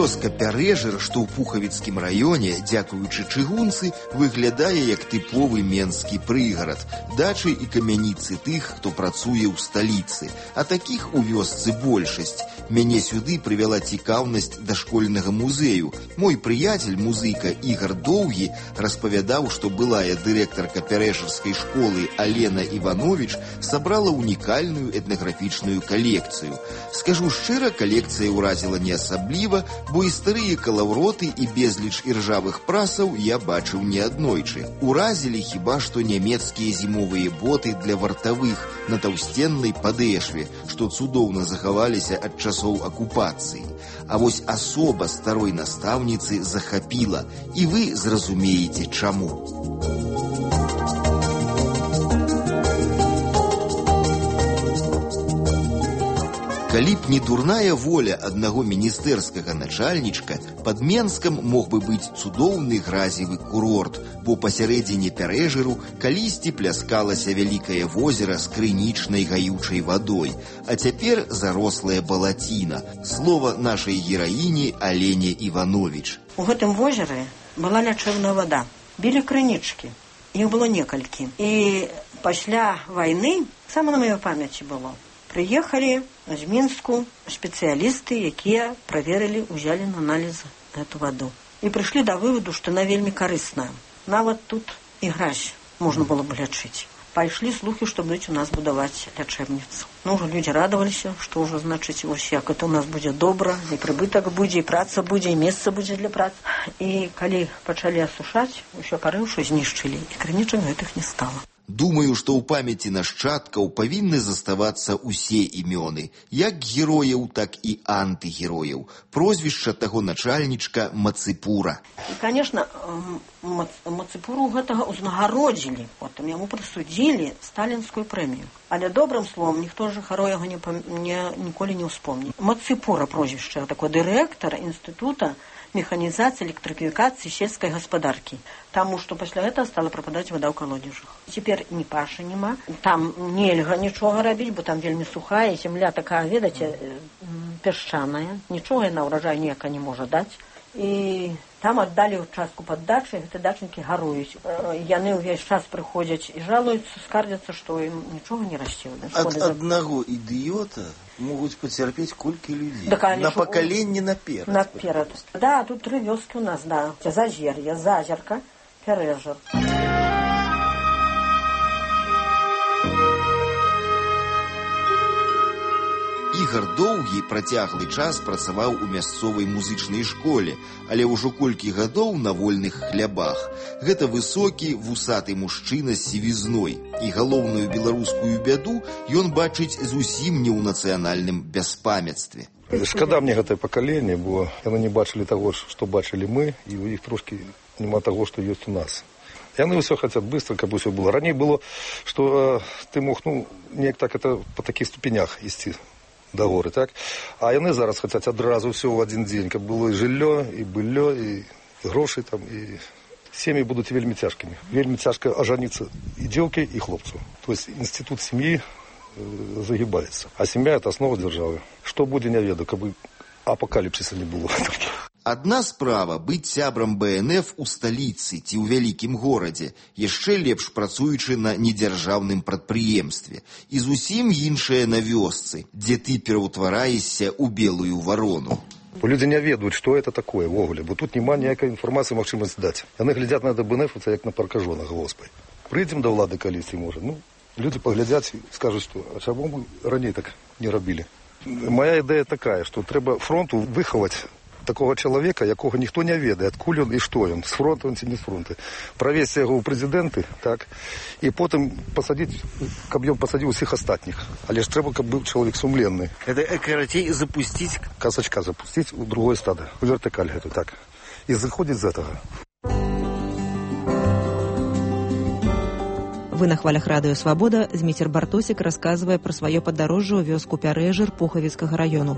Вёска Пярэжыр, што ў Пухавіцкім раёне, дзякуючы чыгунцы, выглядае як тыповы менскі прыгарад, дачы і камяніцы тых, хто працуе ў сталіцы. А такіх у вёсцы большасць. Мяне сюды прывяла цікаўнасць да школьнага музею. Мой прыяцель, музыка Ігар Доўгі, распавядаў, што былая дырэктарка пярэжырскай школы Алена Іванович сабрала унікальную этнаграфічную калекцыю. Скажу шчыра, калекцыя ўразіла не асабліва, бо і старыя калаўроты і безліч іржавых прасаў я бачыў неаднойчы. Уразілі хіба што нямецкія зімовыя боты для вартавых на таўсценнай падэшве, што цудоўна захаваліся ад часоў акупацыі. А вось асоба старой настаўніцы захапіла, і вы зразумееце чаму. Калі б не дурная воля аднаго міністэрскага начальнічка, пад Менскам мог бы быць цудоўны гразевы курорт, бо пасярэдзіне Пярэжыру калісьці пляскалася вялікае возера з крынічнай гаючай вадой, а цяпер зарослая балаціна. Слова нашай гераіні Алене Іванович. У гэтым возеры была лячэбная вада. Білі крынічкі. Іх было некалькі. І пасля вайны, сама на маёй памяці было, прыехалі з Мінску спецыялісты, якія праверылі, узялі на аналіз эту ваду. І прыйшлі да вываду, што она вельмі карысная. Нават тут і гразь можна было бы лячыць. Пайшлі слухі, што будуць у нас будаваць лячэбніцу. Ну, ўжо людзі радаваліся, што ўжо, значыць, вось як это у нас будзе добра, і прыбытак будзе, і праца будзе, і месца будзе для працы. І калі пачалі асушаць, усё парыўшы знішчылі, і крынічак гэтых не стала. Думаю, што ў памяці нашчадкаў павінны заставацца ўсе імёны, як герояў, так і антыгерояў. Прозвішча таго начальнічка Мацыпура. І, конечно, Мацыпуру гэтага ўзнагародзілі, потым яму прысудзілі сталінскую прэмію. Але добрым словом ніхто ж жыхароў яго ніколі не ўспомні. Мацыпура прозвішча, такой дырэктар інстытута механізацыі, электрыфікацыі сельскай гаспадаркі. Таму што пасля гэтага стала прападаць вада ў калодзежах. Цяпер ні пашы няма, там нельга нічога рабіць, бо там вельмі сухая, зямля такая, ведаце, пясчаная, нічога яна ўраджай ніяка не можа даць. І там аддалі ўчастку пад дачай, гэты дачнікі гаруюць. Яны ўвесь час прыходзяць і жалуюцца, скардзяцца, што ім нічога не расце. Ад аднаго ідыёта могуць пацярпець колькі людзей. На пакаленне наперад. Наперад. Да, тут 3 вёскі у нас, да. Зазер'е, Зазерка, Пярэжыр. Ігар Доўгі працяглы час працаваў у мясцовай музычнай школе, але ўжо колькі гадоў на вольных хлябах. Гэта высокі, вусаты мужчына з сівізной. І галоўную беларускую бяду ён бачыць зусім не ў нацыянальным бяспамяцтве. Шкада мне гэтае пакаленне, бо яны не бачылі таго, што бачылі мы, і ў іх трошкі няма таго, што ёсць у нас. Яны ўсё хацяць быстро, каб усё было. Раней было, што ты мог, неяк так это па такіх ступенях ісці да горы, так? А яны зараз хацяць адразу ўсё ў адзін дзень, каб было і жыллё, і быллё, і грошы там, і сем'і будуць вельмі цяжкімі. Вельмі цяжка ажаніцца і дзеўкі, і хлопцу. То есть інстытут сям'і загибаецца. А сям'я – это основа дзяржавы. Што будзе, не ведаю, каб апокаліпсіса не было. Адна справа быць сябрам БНФ у сталіцы ці ў вялікім горадзе, яшчэ лепш працуючы на недзяржаўным прадпрыемстве. І зусім іншае на вёсцы, дзе ты пераўтвараешся ў белую варону. Людзі не ведаюць, што это такое ввогуле, бо тут няма ніякай інфармацыі магчымасць даць. Яны глядзяць на БНФ, як на паркажонах, Господи. Прыйдзем да ўлады калісьці, можа. Людзі паглядзяць і скажуць, што а чаму мы раней так не рабілі. Моя ідэя такая, што трэба фронту выхаваць такого чалавека, якога ніхто не ведае, адкуль ён і што ён, з фронту ці не з фронту. Правесці яго ў прэзідэнты, так, і потым пасадзіць, каб ён пасадзіў усіх астатніх. Але ж трэба, каб быў чалавек сумленны. Это карацей запусціць, казачка запусціць у другое стадо, у вертыкаль гэту, так. І зыходзіць з гэтага. Вы на хвалях радыё «Свабода». Зміцер Бартосік расказвае пра сваё падарожжа ў вёску Пярэжыр Пухавіцкага раёну.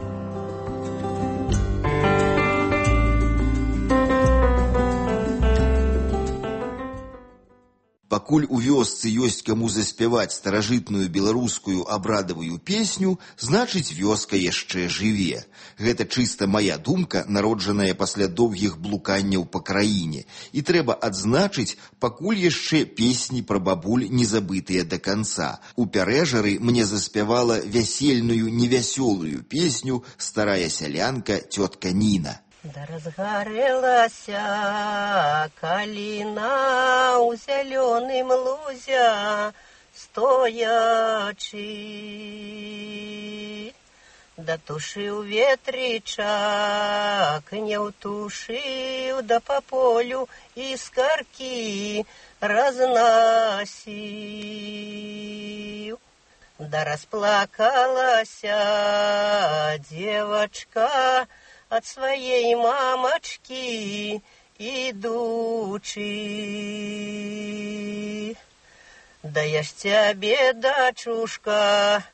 Пакуль у вёсцы ёсць каму заспяваць старажытную беларускую абрадавую песню, значыць вёска яшчэ жыве. Гэта чыста мая думка, народжаная пасля доўгіх блуканняў па краіне. І трэба адзначыць, пакуль яшчэ песні пра бабуль не забытыя да канца. У Пярэжары мне заспявала вясельную невясёлую песню старая сялянка цётка Ніна. Да разгарэлася каліна ў зялёным лузе стоячы. Датушыў ветрычак, не ўтушыў, да па полю іскаркі разнасіў. Да расплакалася дзевачка ад сваей мамачкі ідучы. Да я ж цябе, дачушка,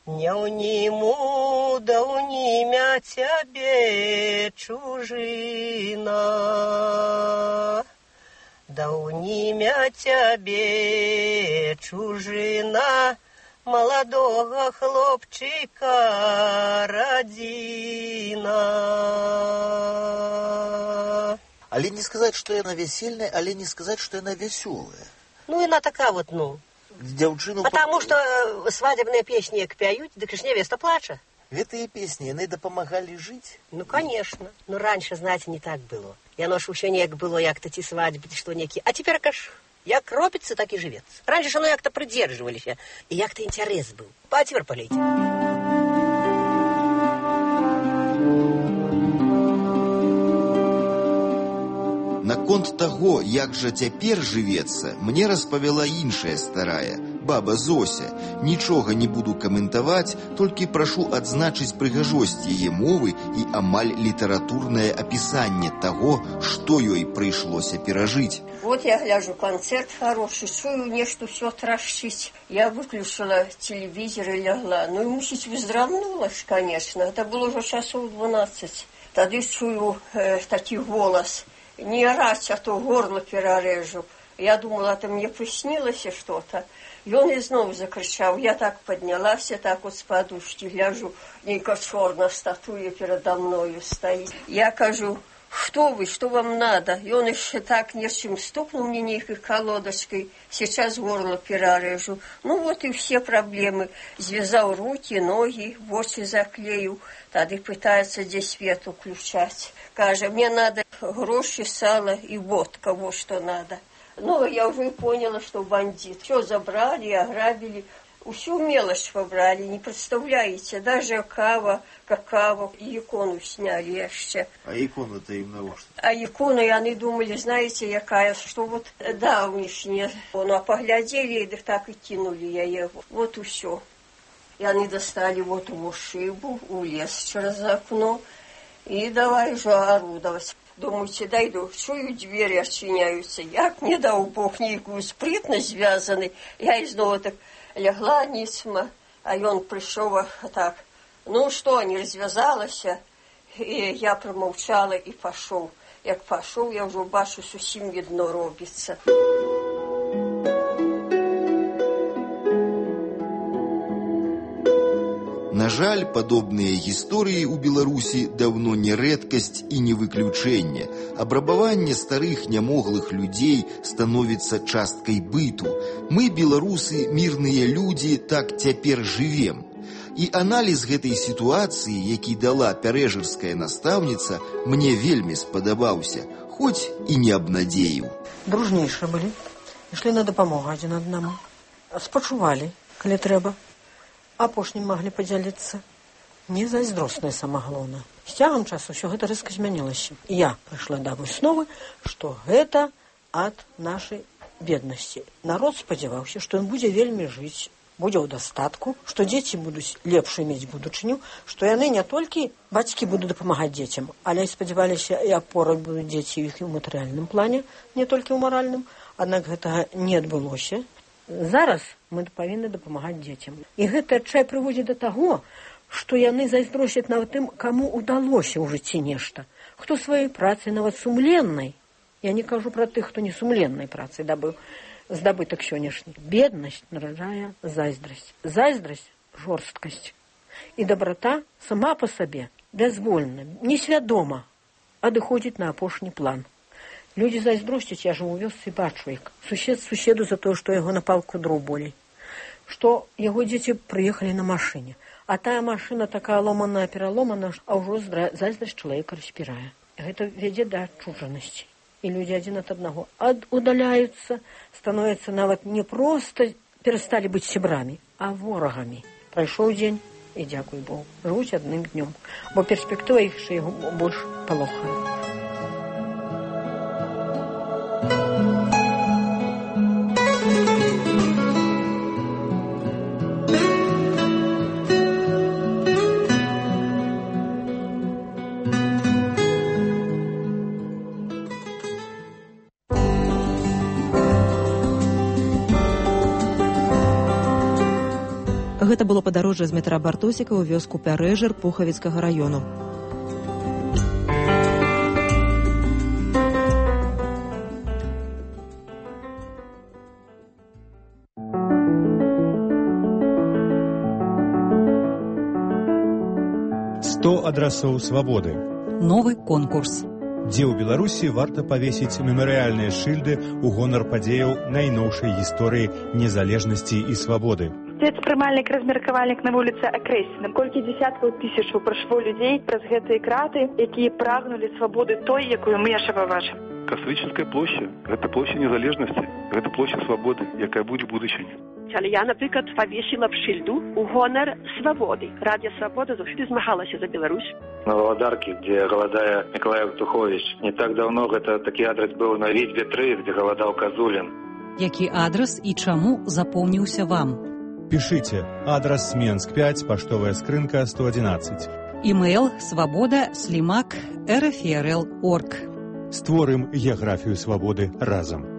не ўніму, да ўнімя цябе чужына. Да ўнімя цябе чужына, маладога хлопчыка радзіна. Але не сказаць, што яна весельная, але не сказаць, што яна вясёлая. Ну, яна такая вот, ну. Дзяўчыну... Потому что свадебные песни як пяют, дык ж невеста плача. Гэтыя песні, яны дапамагалі жыць? Ну, конечно. Ну, раньше, знаете, не так было. Яно ж усё неяк было, як-то ці свадьбы, ці што некі. А теперь, каш, як робіцца, так і жывецца. Раньше ж оно як-то придерживаліся, і як-то інтарэс быў. А теперь полейте. Наконт таго, як жа цяпер жывецца, мне распавяла іншая старая, баба Зося. Нічога не буду каментаваць, толькі прашу адзначыць прыгажосць яе мовы і амаль літаратурнае апісанне таго, што ёй прыйшлося перажыць. Вот я гляжу, концерт хороший, чую, нешта все трашчыць. Я выключила телевизор и лягла. Ну и мусить выздравнула ж, конечно. Это было уже часов 12. Тады чую такі голос. Не орать, а то горло перережу. Я думала, это мне приснилось что-то. И он и снова закричал. Я так поднялась, так вот с подушки гляжу. Нейка черная статуя передо мною стоит. Я кажу, что вы, что вам надо? И он еще так нечем стукнул мне нейкой колодочкой. Сейчас горло перережу. Ну вот и все проблемы. Связал руки, ноги, в очи заклеил. Тады пытается здесь свет включать. Каже, мне надо гроши, сало и водка, вот что надо. Ну, я уже поняла, что бандит. Все забрали, ограбили. Всю мелочь побрали, не представляете. Даже кава, какао, и икону сняли еще. А икона-то им на что? А икону, и они думали, знаете, якая, что вот давнишняя. Ну, а поглядели, и так и кинули я его. Вот и все. И они достали вот его шибу, улез через окно. И давай же орудовать. Думаете, дойду, чую, двери отчиняются. Як не дал Бог некую спритность связанный. Я снова так легла ницма, а он пришел так. Ну что, не развязалась? И я промолчала и пошел. Як пошел, я уже бачу, совсем видно робится. На жаль, падобныя гісторыі ў Беларусі даўно не рэдкасць і не выключэнне. Абрабаванне старых нямоглых людзей становіцца часткай быту. Мы, беларусы, мірныя людзі, так цяпер жывем. І аналіз гэтай сітуацыі, які дала пярэжырская настаўніца, мне вельмі спадабаўся, хоць і не абнадзеіў. Дружнейшие былі, ішлі на дапамогу адзін аднаму. Спачувалі, калі трэба. Апошнім маглі падзяліцца. Не зайздростная самагалоўна. З цягам часу ўсё гэта рэзка змянілася. І я прыйшла да высновы, што гэта ад нашай беднасці. Народ спадзяваўся, што ён будзе вельмі жыць, будзе ў дастатку, што дзеці будуць лепш мець будучыню, што яны не толькі бацькі будуць дапамагаць дзецям, але і спадзяваліся, і апорай будуць дзеці іх і ў матэрыяльным плане, не толькі ў маральным. Аднак гэтага не адбылося. Зараз мы павінны дапамагаць дзецям. І гэта адчай прыводзіць да таго, што яны зайздросяць нават тым, каму ўдалося ў жыцці нешта. Хто сваёй працай, нават сумленнай, я не кажу пра тых, хто не сумленнай працай дабыў, здабытак сённяшні. Беднасць нараджае зайздрасць. Зайздрасць – жорсткасць. І дабрата сама па сабе, бязвольна, несвядома, адыходзіць на апошні план. Людзі зайздросцяць, я жыву у вёсцы і бачу, як сусед суседу за тое, што яго на палку дроў болей. Што яго дзеці прыехалі на машыне. А тая машына такая ломаная, пераломана, а ўжо зайздрасць чалавека распірае. Гэта вядзе да адчужанасці. І людзі адзін ад аднаго удаляюцца, становяцца нават не проста перасталі быць сябрамі, а ворагамі. Прайшоў дзень, і дзякуй Богу, жывуць адным днём, бо перспектыва іх яшчэ больш палохае. Гэта было падарожжа з метра Бартосіка ў вёску Пярэжыр Пухавіцкага раёну. Адрасоў свабоды. Новы конкурс. Дзе ў Беларусі варта павесіць мемарыяльныя шыльды ў гонар падзеяў найноўшай гісторыі незалежнасці і свабоды. Спецпрымальнік, размеркавальнік на вуліцы акрэслены. Колькі дзесяткаў тысячаў прайшло людзей праз гэтыя краты, якія прагнулі свабоды той, якую мы яшчэ пабачым. Кастрычніцкая площа – гэта площа незалежнасці, гэта площа свабоды, якая будзе в будучыні. Але я, наприклад, повісила б шильду у гонор свободы. Радіо «Свобода» завжди змагалася за Беларусь. На Володарке, где голодая Николай Евтухович. Не так давно это такий адрес был на Витьбе 3, где голодал Козулин. Які адрес і чаму запомніўся вам? Пишите. Адрес Сменск 5, поштовая скрынка 111. Email svoboda@rfrl.org. Створым геаграфію свабоды разам.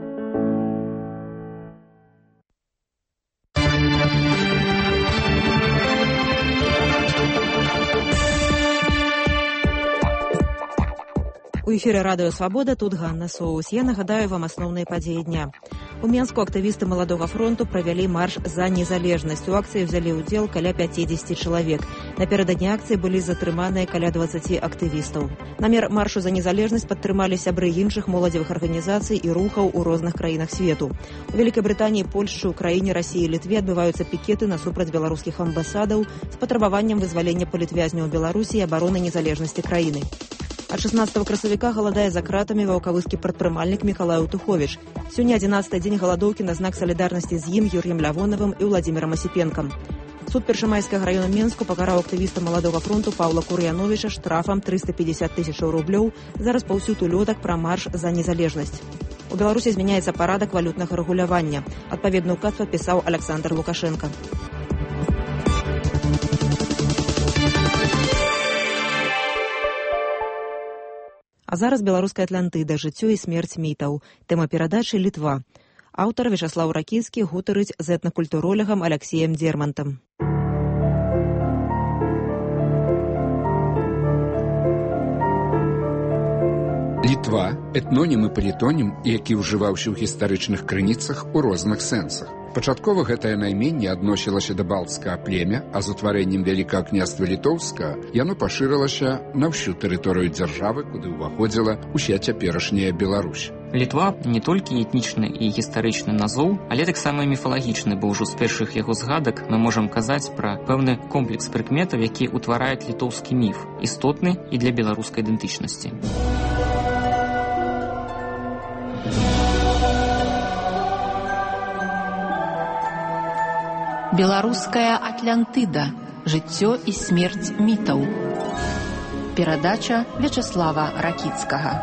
У эфіры радыё «Свабода», тут Ганна Соус. Я нагадаю вам асноўныя падзеі дня. У Менску актывісты Маладога фронту правялі марш за незалежнасць. У акцыі ўзялі ўдзел каля 50 чалавек. Напярэдадні акцыі былі затрыманыя каля 20 актывістаў. Намер маршу за незалежнасць падтрымалі сябры іншых моладзевых арганізацый і рухаў у розных краінах свету. У Вялікай Брытаніі, Польшчы, Украіне, Расіі і Літве адбываюцца пікеты насупраць беларускіх амбасадаў з патрабаваннем вызвалення палітвязняў Беларусі і абароны незалежнасці краіны. Ад 16 красавіка галадае за кратамі ваўкавыскі прадпрымальнік Мікалай Евтухович. Сёння 11-й дзень галадоўкі на знак салідарнасці з ім, Юр'ем Лявонавым і Владзімірам Асіпенкам. Суд Першамайскага раёна Менску пакараў актывіста Маладога фронту Паўла Кур'яновіча штрафам 350 000 рублёў за распаўсюд улётак пра марш за незалежнасць. У Беларусі змяняецца парадак валютнага рэгулявання. Адпаведны ўказ падпісаў Аляксандр Лукашенка. А зараз беларуская Атлантыда, жыццё і смерць мітаў. Тэма перадачы «Літва». Аўтар Вячаслаў Ракіцкі гутарыць з этнакультуролегам Аляксеем Дермантам. Літва – этнонім і палітонім, які ўжываўся ў гістарычных крыніцах у розных сэнсах. Пачаткова гэтае найменне адносілася да балцкага племя, а з утварэннем Вялікага княства Літоўскага яно пашырылася на ўсю тэрыторыю дзяржавы, куды ўваходзіла ўся цяперашняя Беларусь. Літва не толькі этнічны і гістарычны назоў, але таксама міфалагічны, бо ўжо з першых яго згадак мы можам казаць пра пэўны комплекс прыкметаў, які ўтвараюць літоўскі міф, істотны і для беларускай ідэнтычнасці. Беларуская Атлантыда. Жыццё і смерць мітаў. Перадача Вячаслава Ракіцкага.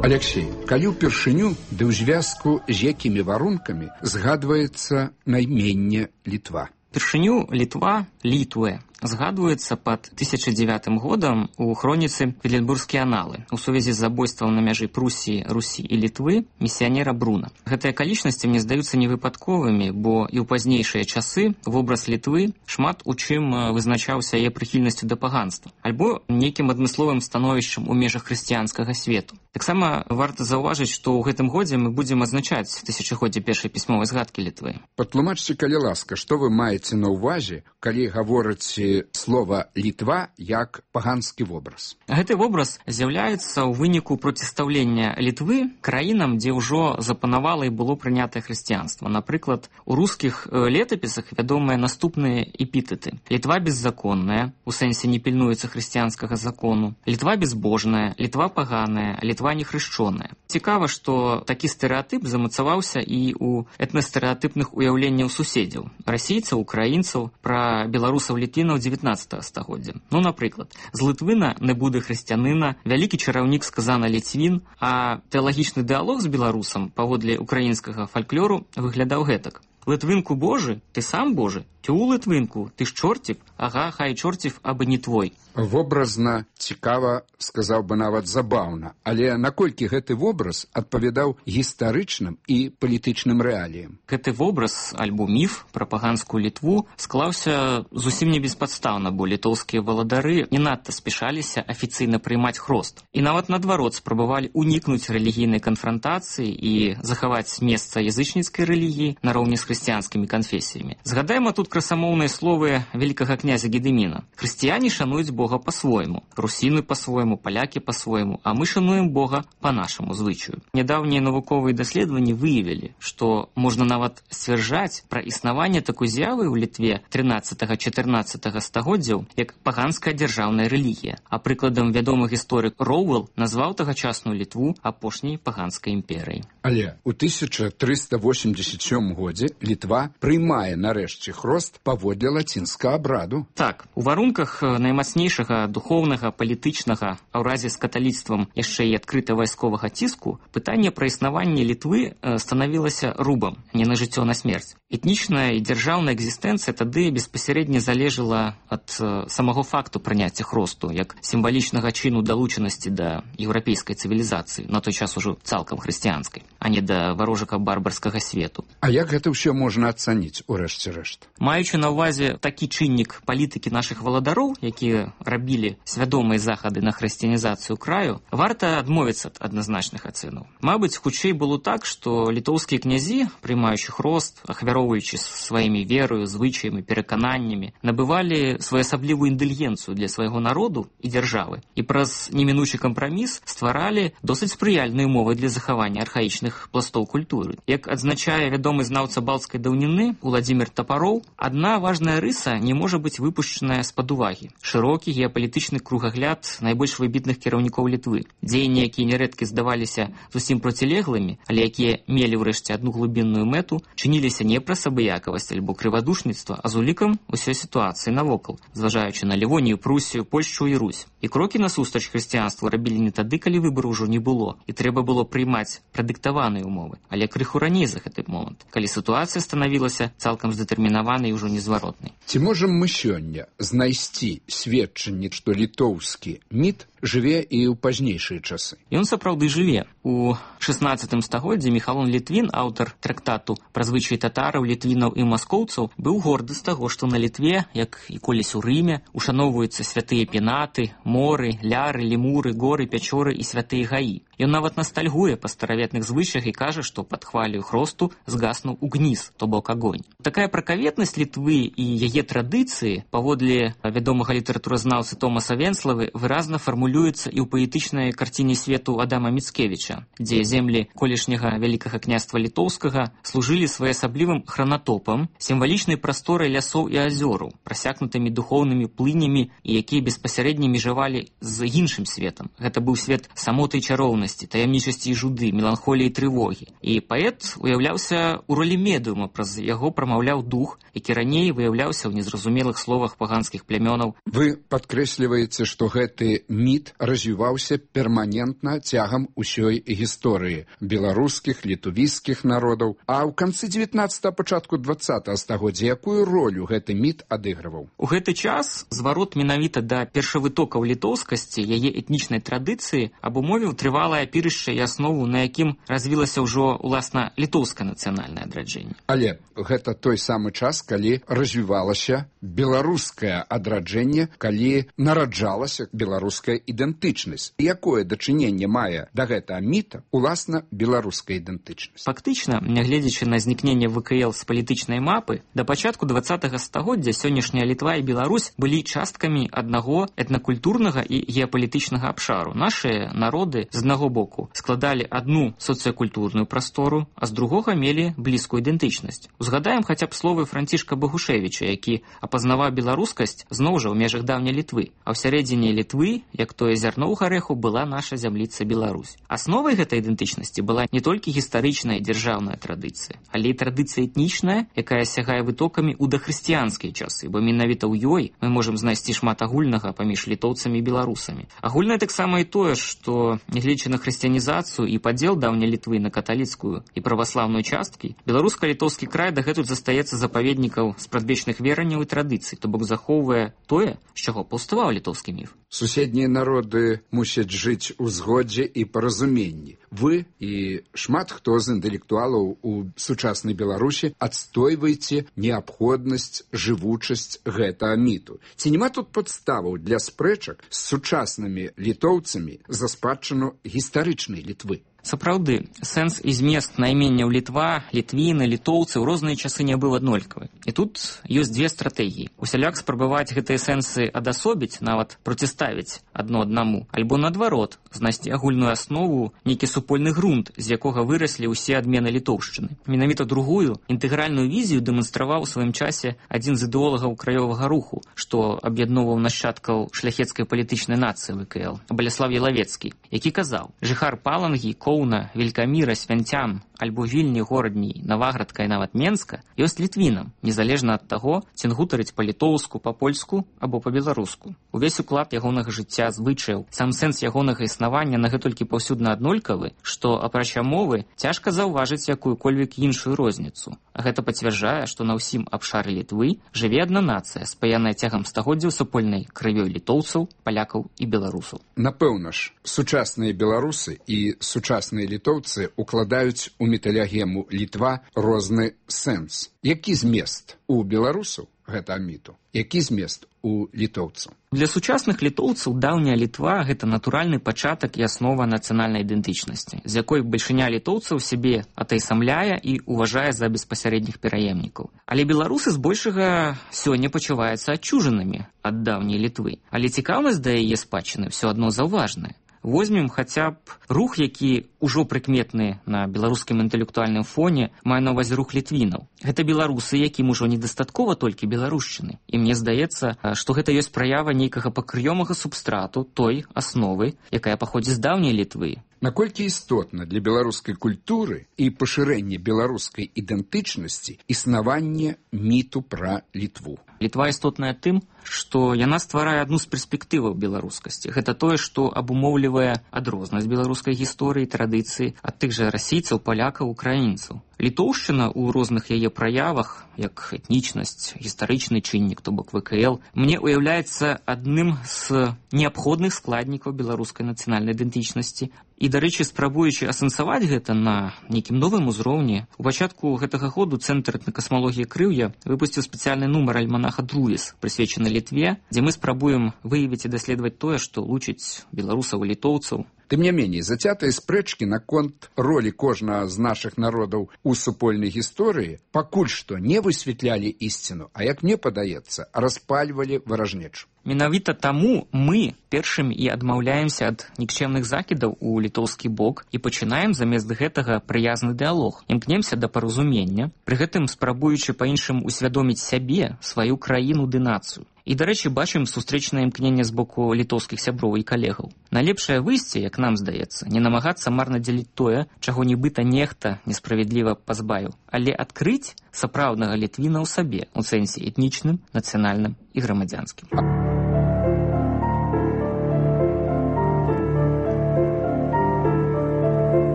Аляксей, калі ўпершыню ды ў звязку з якімі варункамі згадваецца найменне Літва? Першыню Літва, Літве, згадваецца пад 1009 годам у хроніцы «Петербургскія аналы» у сувязі з забойствам на мяжы Прусіі, Русі і Літвы місіянера Бруна. Гэтыя акалічнасці мне здаюцца невыпадковымі, бо і ў пазнейшыя часы вобраз Літвы шмат у чым вызначаўся яе прыхільнасцю да паганства, альбо нейкім адмысловым становішчам у межах хрысціянскага свету. Таксама варта заўважыць, што ў гэтым годзе мы будзем адзначаць тысячагоддзе першай пісьмовай згадкі Літвы. Патлумачце, калі ласка, што вы маеце на ўвазе, калі гаворыце слова «Літва» як паганскі вобраз? Гэты вобраз з'яўляецца ў выніку процістаўлення Літвы краінам, дзе ўжо запанавала і было прынятае хрысціянства. Напрыклад, у рускіх летапісах вядомыя наступныя эпітэты. Літва беззаконная, у сэнсе не пільнуецца хрысціянскага закону. Літва безбожная, Літва паганая, Літва нехрышчоная. Цікава, што такі стэрэатып замацаваўся і ў этнастэрэатыпных уяўленняў суседзяў, расійцаў, украінцаў, пра беларусаў-літвінаў 19 стагоддзя. Ну, напрыклад, з лытвына не будзе хрысціянына, вялікі чараўнік сказана ліцвін, а тэалагічны дыалог з беларусам паводле украінскага фальклору выглядаў гэтак. Литвинку Божий, ты сам Божий? Тю, Литвинку, ти ж чортів? Ага, хай чортів, аби не твой. Вобразна, цікава, сказаў бы нават забаўна, але наколькі гэты вобраз адпавядаў гістарычным і палітычным рэаліям? Гэты вобраз, альбо міф пра паганскую Літву склаўся зусім не беспадстаўна, бо літоўскія валадары не надта спяшаліся афіцыйна прыймаць хрост. І нават наадварот спрабавалі унікнуць рэлігійнай канфрантацыі і захаваць месца язычніцкай рэлігіі нароўні з хрысціянскімі канфесіямі. Згадаем тут красамоўныя словы вялікага князя Гедыміна. Хрысціяне шануюць Бога по-свойму, русіны по-свойму, палякі по-свойму, а мы шануем Бога по нашаму звычаю. Нядаўнія навуковыя даследаванні выявілі, што можна нават сцвярджаць пра існаванне такой з'явы ў Літве 13-14 стагоддзяў як паганская дзяржаўная рэлігія. А прыкладам вядомы гісторык Роуэлл назваў тагачасную Літву апошняй паганскай імперыяй. Але ў 1387 годзе Літва прыймае нарэшце хрост паводле лацінскага абраду. Так, у варунках наймацнейшага духоўнага, палітычнага, а ў разе з каталіцтвам яшчэ і адкрыта вайсковага ціску, пытанне пра існаванне Літвы станавілася рубам, не на жыццё, на смерць. Этнічная і дзяржаўная экзістэнцыя тады беспасярэдне залежала ад самого факту прыняцця хросту, як сімвалічнага чыну далучанасці да еўрапейскай цывілізацыі, на той час ужо цалкам хрысціянскай, а не да варожага барбарскага свету. А як гэта ўсё можна ацаніць у рэшце рэшт? Маючы на ўвазе такі чыннік палітыкі нашых валадароў, якія рабілі свядомыя захады на хрысціянізацыю краю, варта адмовіцца ад адназначных ацэнаў. Мабыць, хутчэй было так, што літоўскія князі, прымаючы хрост, ахвяроўваючы сваімі верою, звычаямі, перакананнямі, набывалі своеасаблівую інтэлігенцыю для свайго народу і дзяржавы і праз немінучы кампраміс стваралі досыць спрыяльныя умовы для захавання архаічных пластоў культуры. Як адзначае вядомы знаўца балцкай даўніны Уладзімір Тапароў, адна важная рыса не можа быць выпушчаная з-пад увагі. Шырокі геапалітычны кругагляд найбольш выбітных кіраўнікоў Літвы. Дзеянні, якія нярэдкі здаваліся зусім процілеглымі, але якія мелі ўрэшце адну глыбінную мэту, чыніліся не праз абыякавасць альбо крывадушніцтва, а з улікам усёй сітуацыі навокал, зважаючы на Лівонію, Прусію, Польшчу і Русь. І крокі насустрач хрысціянству рабілі не тады, калі выбару ўжо не было, і трэба было прыймаць прадыктаваныя умовы, але крыху раней за гэты момант, калі сітуацыя станавілася цалкам здэтэрмінаванай і ўжо незваротнай. Ці можам мы сёння знайсці сведчанне, што літоўскі міт жыве і ў пазнейшыя часы? Ён сапраўды жыве. У 16 стагоддзі Міхалон Літвін, аўтар трактату пра звычаі татараў, літвінаў і маскоўцаў, быў горды з таго, што на Літве, як і колісь у Рыме, ушаноўваюцца святыя пенаты, моры, ляры, лемуры, горы, пячоры і святыя гаі. Ён нават настальгуе па стараветных звычаях і кажа, што пад хваляю хросту згаснуў угніз, то бок агонь. Такая пракаветнасць Літвы і яе традыцыі, паводле вядомага літаратуразнаўцы Томаса Венславы, выразна фармулюецца і ў паэтычнай карціне свету Адама Міцкевіча, дзе землі колішняга вялікага княства літоўскага служылі своеасаблівым хранатопам, сімвалічнай прасторай лясоў і азёраў, прасякнутымі духоўнымі плынямі і якія беспасярэдне межавалі з іншым светам. Гэта быў свет самоты і чароўнасці, таямнічасці і жуды, меланхоліі і трывогі. І паэт уяўляўся ў ролі медыума, праз яго прамаўляў дух, які раней выяўляўся ў незразумелых словах паганскіх плямёнаў. Вы падкрэсліваеце, што гэты міт міт развіваўся перманентна цягам усёй гісторыі беларускіх, літувійскіх народаў. А ў канцы 19-го, пачатку 20-го стагоддзя якую ролю гэты міт адыгрываў? У гэты час зварот менавіта да першавытокаў літоўскасці, яе этнічнай традыцыі абумовіў трывалае апірышча і аснову, на якім развілася ўжо уласна літоўскае нацыянальнае адраджэнне. Але гэта той самы час, калі развівалася беларускае адраджэнне, калі нараджалася беларуская ідэнтычнасць. Якое дачыненне мае да гэтага міта уласна беларуская ідэнтычнасць? Фактычна, нягледзячы на знікненне ВКЛ з палітычнай мапы, да пачатку 20-го стагоддзя сённяшняя Літва і Беларусь былі часткамі аднаго этнакультурнага і геапалітычнага абшару. Нашыя народы з аднаго боку складалі адну соцыякультурную прастору, а з другога мелі блізкую ідэнтычнасць. Узгадаем хаця б словы Францішка Багушевіча, які апазнаваў беларускасць зноў жа ў межах даўняй Літвы. А ў сярэдзіне Літвы, як тое зярно ў гарэху, была наша зямліца Беларусь. Асновай гэтай ідэнтычнасці была не толькі гістарычная дзяржаўная традыцыя, але і традыцыя этнічная, якая сягае вытокамі ў дахрысціянскія часы, бо менавіта ў ёй мы можам знайсці шмат агульнага паміж літоўцамі і беларусамі. Агульнае таксама і тое, што, нягледзячы на хрысціянізацыю і падзел даўняй Літвы на каталіцкую і праваслаўную часткі, беларуска-літоўскі край дагэтуль застаецца запаведнікаў спрадвечных вераванняў і традыцый, то бок захоўвае тое, з чаго паўставаў літоўскі міф. Суседнія народы мусяць жыць у згодзе і паразуменні. Вы і шмат хто з інтэлектуалаў у сучаснай Беларусі адстойваеце неабходнасць, жывучасць гэтага міту. Ці няма тут падставаў для спрэчак з сучаснымі літоўцамі за спадчыну гістарычнай Літвы? Сапраўды, сэнс і змест найменняў Літва, літвіны, літоўцы ў розныя часы не быў аднолькавы. І тут ёсць дзве стратэгіі. Усяляк спрабаваць гэтыя сэнсы адасобіць, нават проціставіць адно аднаму, альбо наадварот, знайсці агульную аснову, нейкі супольны грунт, з якога выраслі ўсе адмены літоўшчыны. Менавіта другую, інтэгральную візію дэманстраваў у сваім часе адзін з ідэолагаў краёвага руху, што аб'ядноўваў нашчадкаў шляхецкай палітычнай нацыі ВКЛ, Баляслав Ялавецкі, які казаў: «Жыхар Палангі, Коўна, Велькаміра, Свянцян, альбо Вільні, Горадні, Наваградка і нават Менска ёсць літвінам, незалежна ад таго, ці гутарыць па-літоўску, па-польску або па-беларуску. Увесь уклад ягонага жыцця, звычаяў, сам сэнс ягонага існавання нагэтулькі паўсюдна аднолькавы, што, апрача мовы, цяжка заўважыць якую-кольвек іншую розніцу. А гэта пацвярджае, што на ўсім абшары Літвы жыве адна нацыя, спаяная цягам стагоддзяў супольнай крывёй літоўцаў, палякаў і беларусаў. Напэўна ж, сучасныя беларусы і сучасныя літоўцы укладаюць у металягему Літва розны сэнс. Які змест у беларусаў гэта міту? Які змест у літоўцаў? Для сучасных літоўцаў даўняя Літва – гэта натуральны пачатак і аснова нацыянальнай ідэнтычнасці, з якой бальшыня літоўцаў сябе атайсамляе і уважае за беспасярэдніх пераемнікаў. Але беларусы збольшага сёння пачуваюцца адчужанымі ад даўняй Літвы. Але цікаўнасць да яе спадчыны ўсё адно заўважная. Возьмем хаця б рух, які ўжо прыкметны на беларускім інтэлектуальным фоне, мае на ўвазе рух літвінаў. Гэта беларусы, якім ужо недастаткова толькі беларушчыны. І мне здаецца, што гэта ёсць праява нейкага пакрыёмага субстрату той асновы, якая паходзіць з даўняй Літвы. Наколькі істотна для беларускай культуры і пашырэння беларускай ідэнтычнасці існаванне міту пра Літву? Літва істотная тым, што яна стварае адну з перспектываў беларускасці. Гэта тое, што абумоўлівае адрознасць беларускай гісторыі, традыцыі ад тых жа расійцаў, палякаў, украінцаў. Літоўшчына ў розных яе праявах, як этнічнасць, гістарычны чыннік, то бок ВКЛ, мне уяўляецца адным з неабходных складнікаў беларускай нацыянальнай ідэнтычнасці. І, дарэчы, спрабуючы асэнсаваць гэта на нейкім новым узроўні, у пачатку гэтага году Цэнтр этнакасмалогіі Крыўя выпусціў спецыяльны нумар альманаха «Друес», прысвечаны Літве, дзе мы спрабуем выявіць і даследаваць тое, што лучыць беларусаў і літоўцаў. Тым не меней, зацятыя спрэчкі наконт ролі кожнага з нашых народаў у супольнай гісторыі пакуль што не высвятлялі ісціну, а, як мне падаецца, распальвалі варажнечу. Менавіта таму мы першымі і адмаўляемся ад нікчэмных закідаў у літоўскі бок і пачынаем замест гэтага прыязны дыялог. Імкнемся да паразумення, пры гэтым спрабуючы па-іншым усвядоміць сябе, сваю краіну ды нацыю. І, дарэчы, бачым сустрэчнае імкненне з боку літоўскіх сяброў і калегаў. Найлепшае выйсце, як нам здаецца, не намагацца марна дзеліць тое, чаго нібыта нехта несправядліва пазбавіў, але адкрыць сапраўднага літвіна ў сабе, у сэнсе этнічным, нацыянальным і грамадзянскім.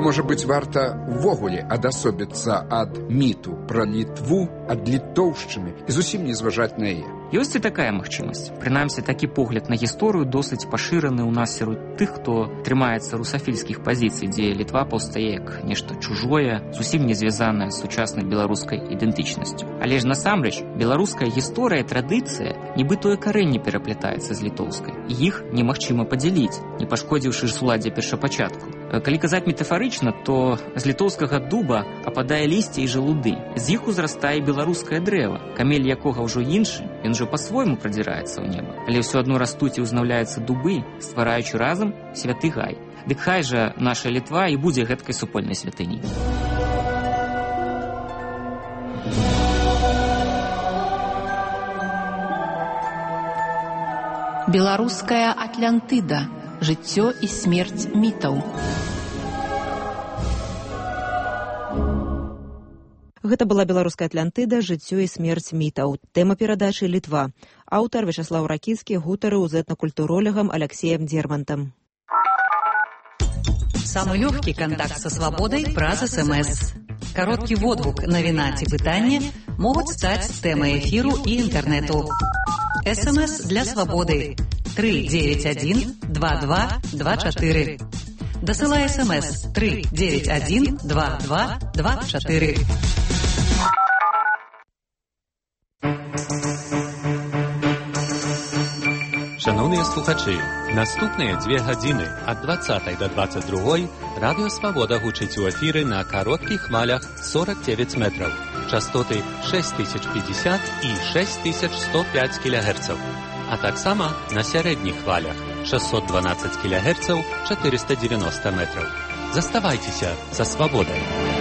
можа быць, варта ўвогуле адасобіцца ад міту пра Літву, ад літоўшчыны і зусім не зважаць на яе? Ёсць і такая магчымасць. Прынамсі, такі погляд на гісторыю досыць пашыраны ў нас сярод тых, хто трымаецца русафільскіх пазіцый, дзе Літва паўстае як нешта чужое, зусім не звязанае з сучаснай беларускай ідэнтычнасцю. Але ж насамрэч, беларуская гісторыя, традыцыя, нібы тое карэнне пераплятаецца з літоўскай. І іх немагчыма падзяліць, не пашкодзіўшы суладдзе першапачатку. Калі казаць метафарычна, то з літоўскага дуба ападае лісце і жалуды. З іх узрастае беларускае дрэва, камель якога ўжо іншы, ён ужо па-свойму прадзіраецца ў неба. Але ўсё адно растуць і ўзнаўляюцца дубы, ствараючы разам святы гай. Дык хай жа наша Літва і будзе гэткай супольнай святыняй. Беларуская Атлантыда. Жыццё і смерць мітаў. Гэта была беларуская Атлантыда, жыццё і смерць мітаў. Тэма перадачы Літва. Аўтар Вячаслаў Ракіцкі гутарыў з этнакультуролегам Алексеем Дермантам. Самый легкий контакт со свободой праз СМС. Короткий водгук, навіна ці пытанне могуць стаць тэмай эфіру і інтэрнэту. СМС для свободы 391-2224. Дасылай СМС 391-2224. Шановні слухачі, наступні 2 години від 20 до 22 Радіо Свобода гучить у ефірі на коротких хвалях 49 метрів, частоти 6050 і 6105 кГц, а так само на середніх хвалях 612 кГц, 490 метрів. Заставайтеся за свободою.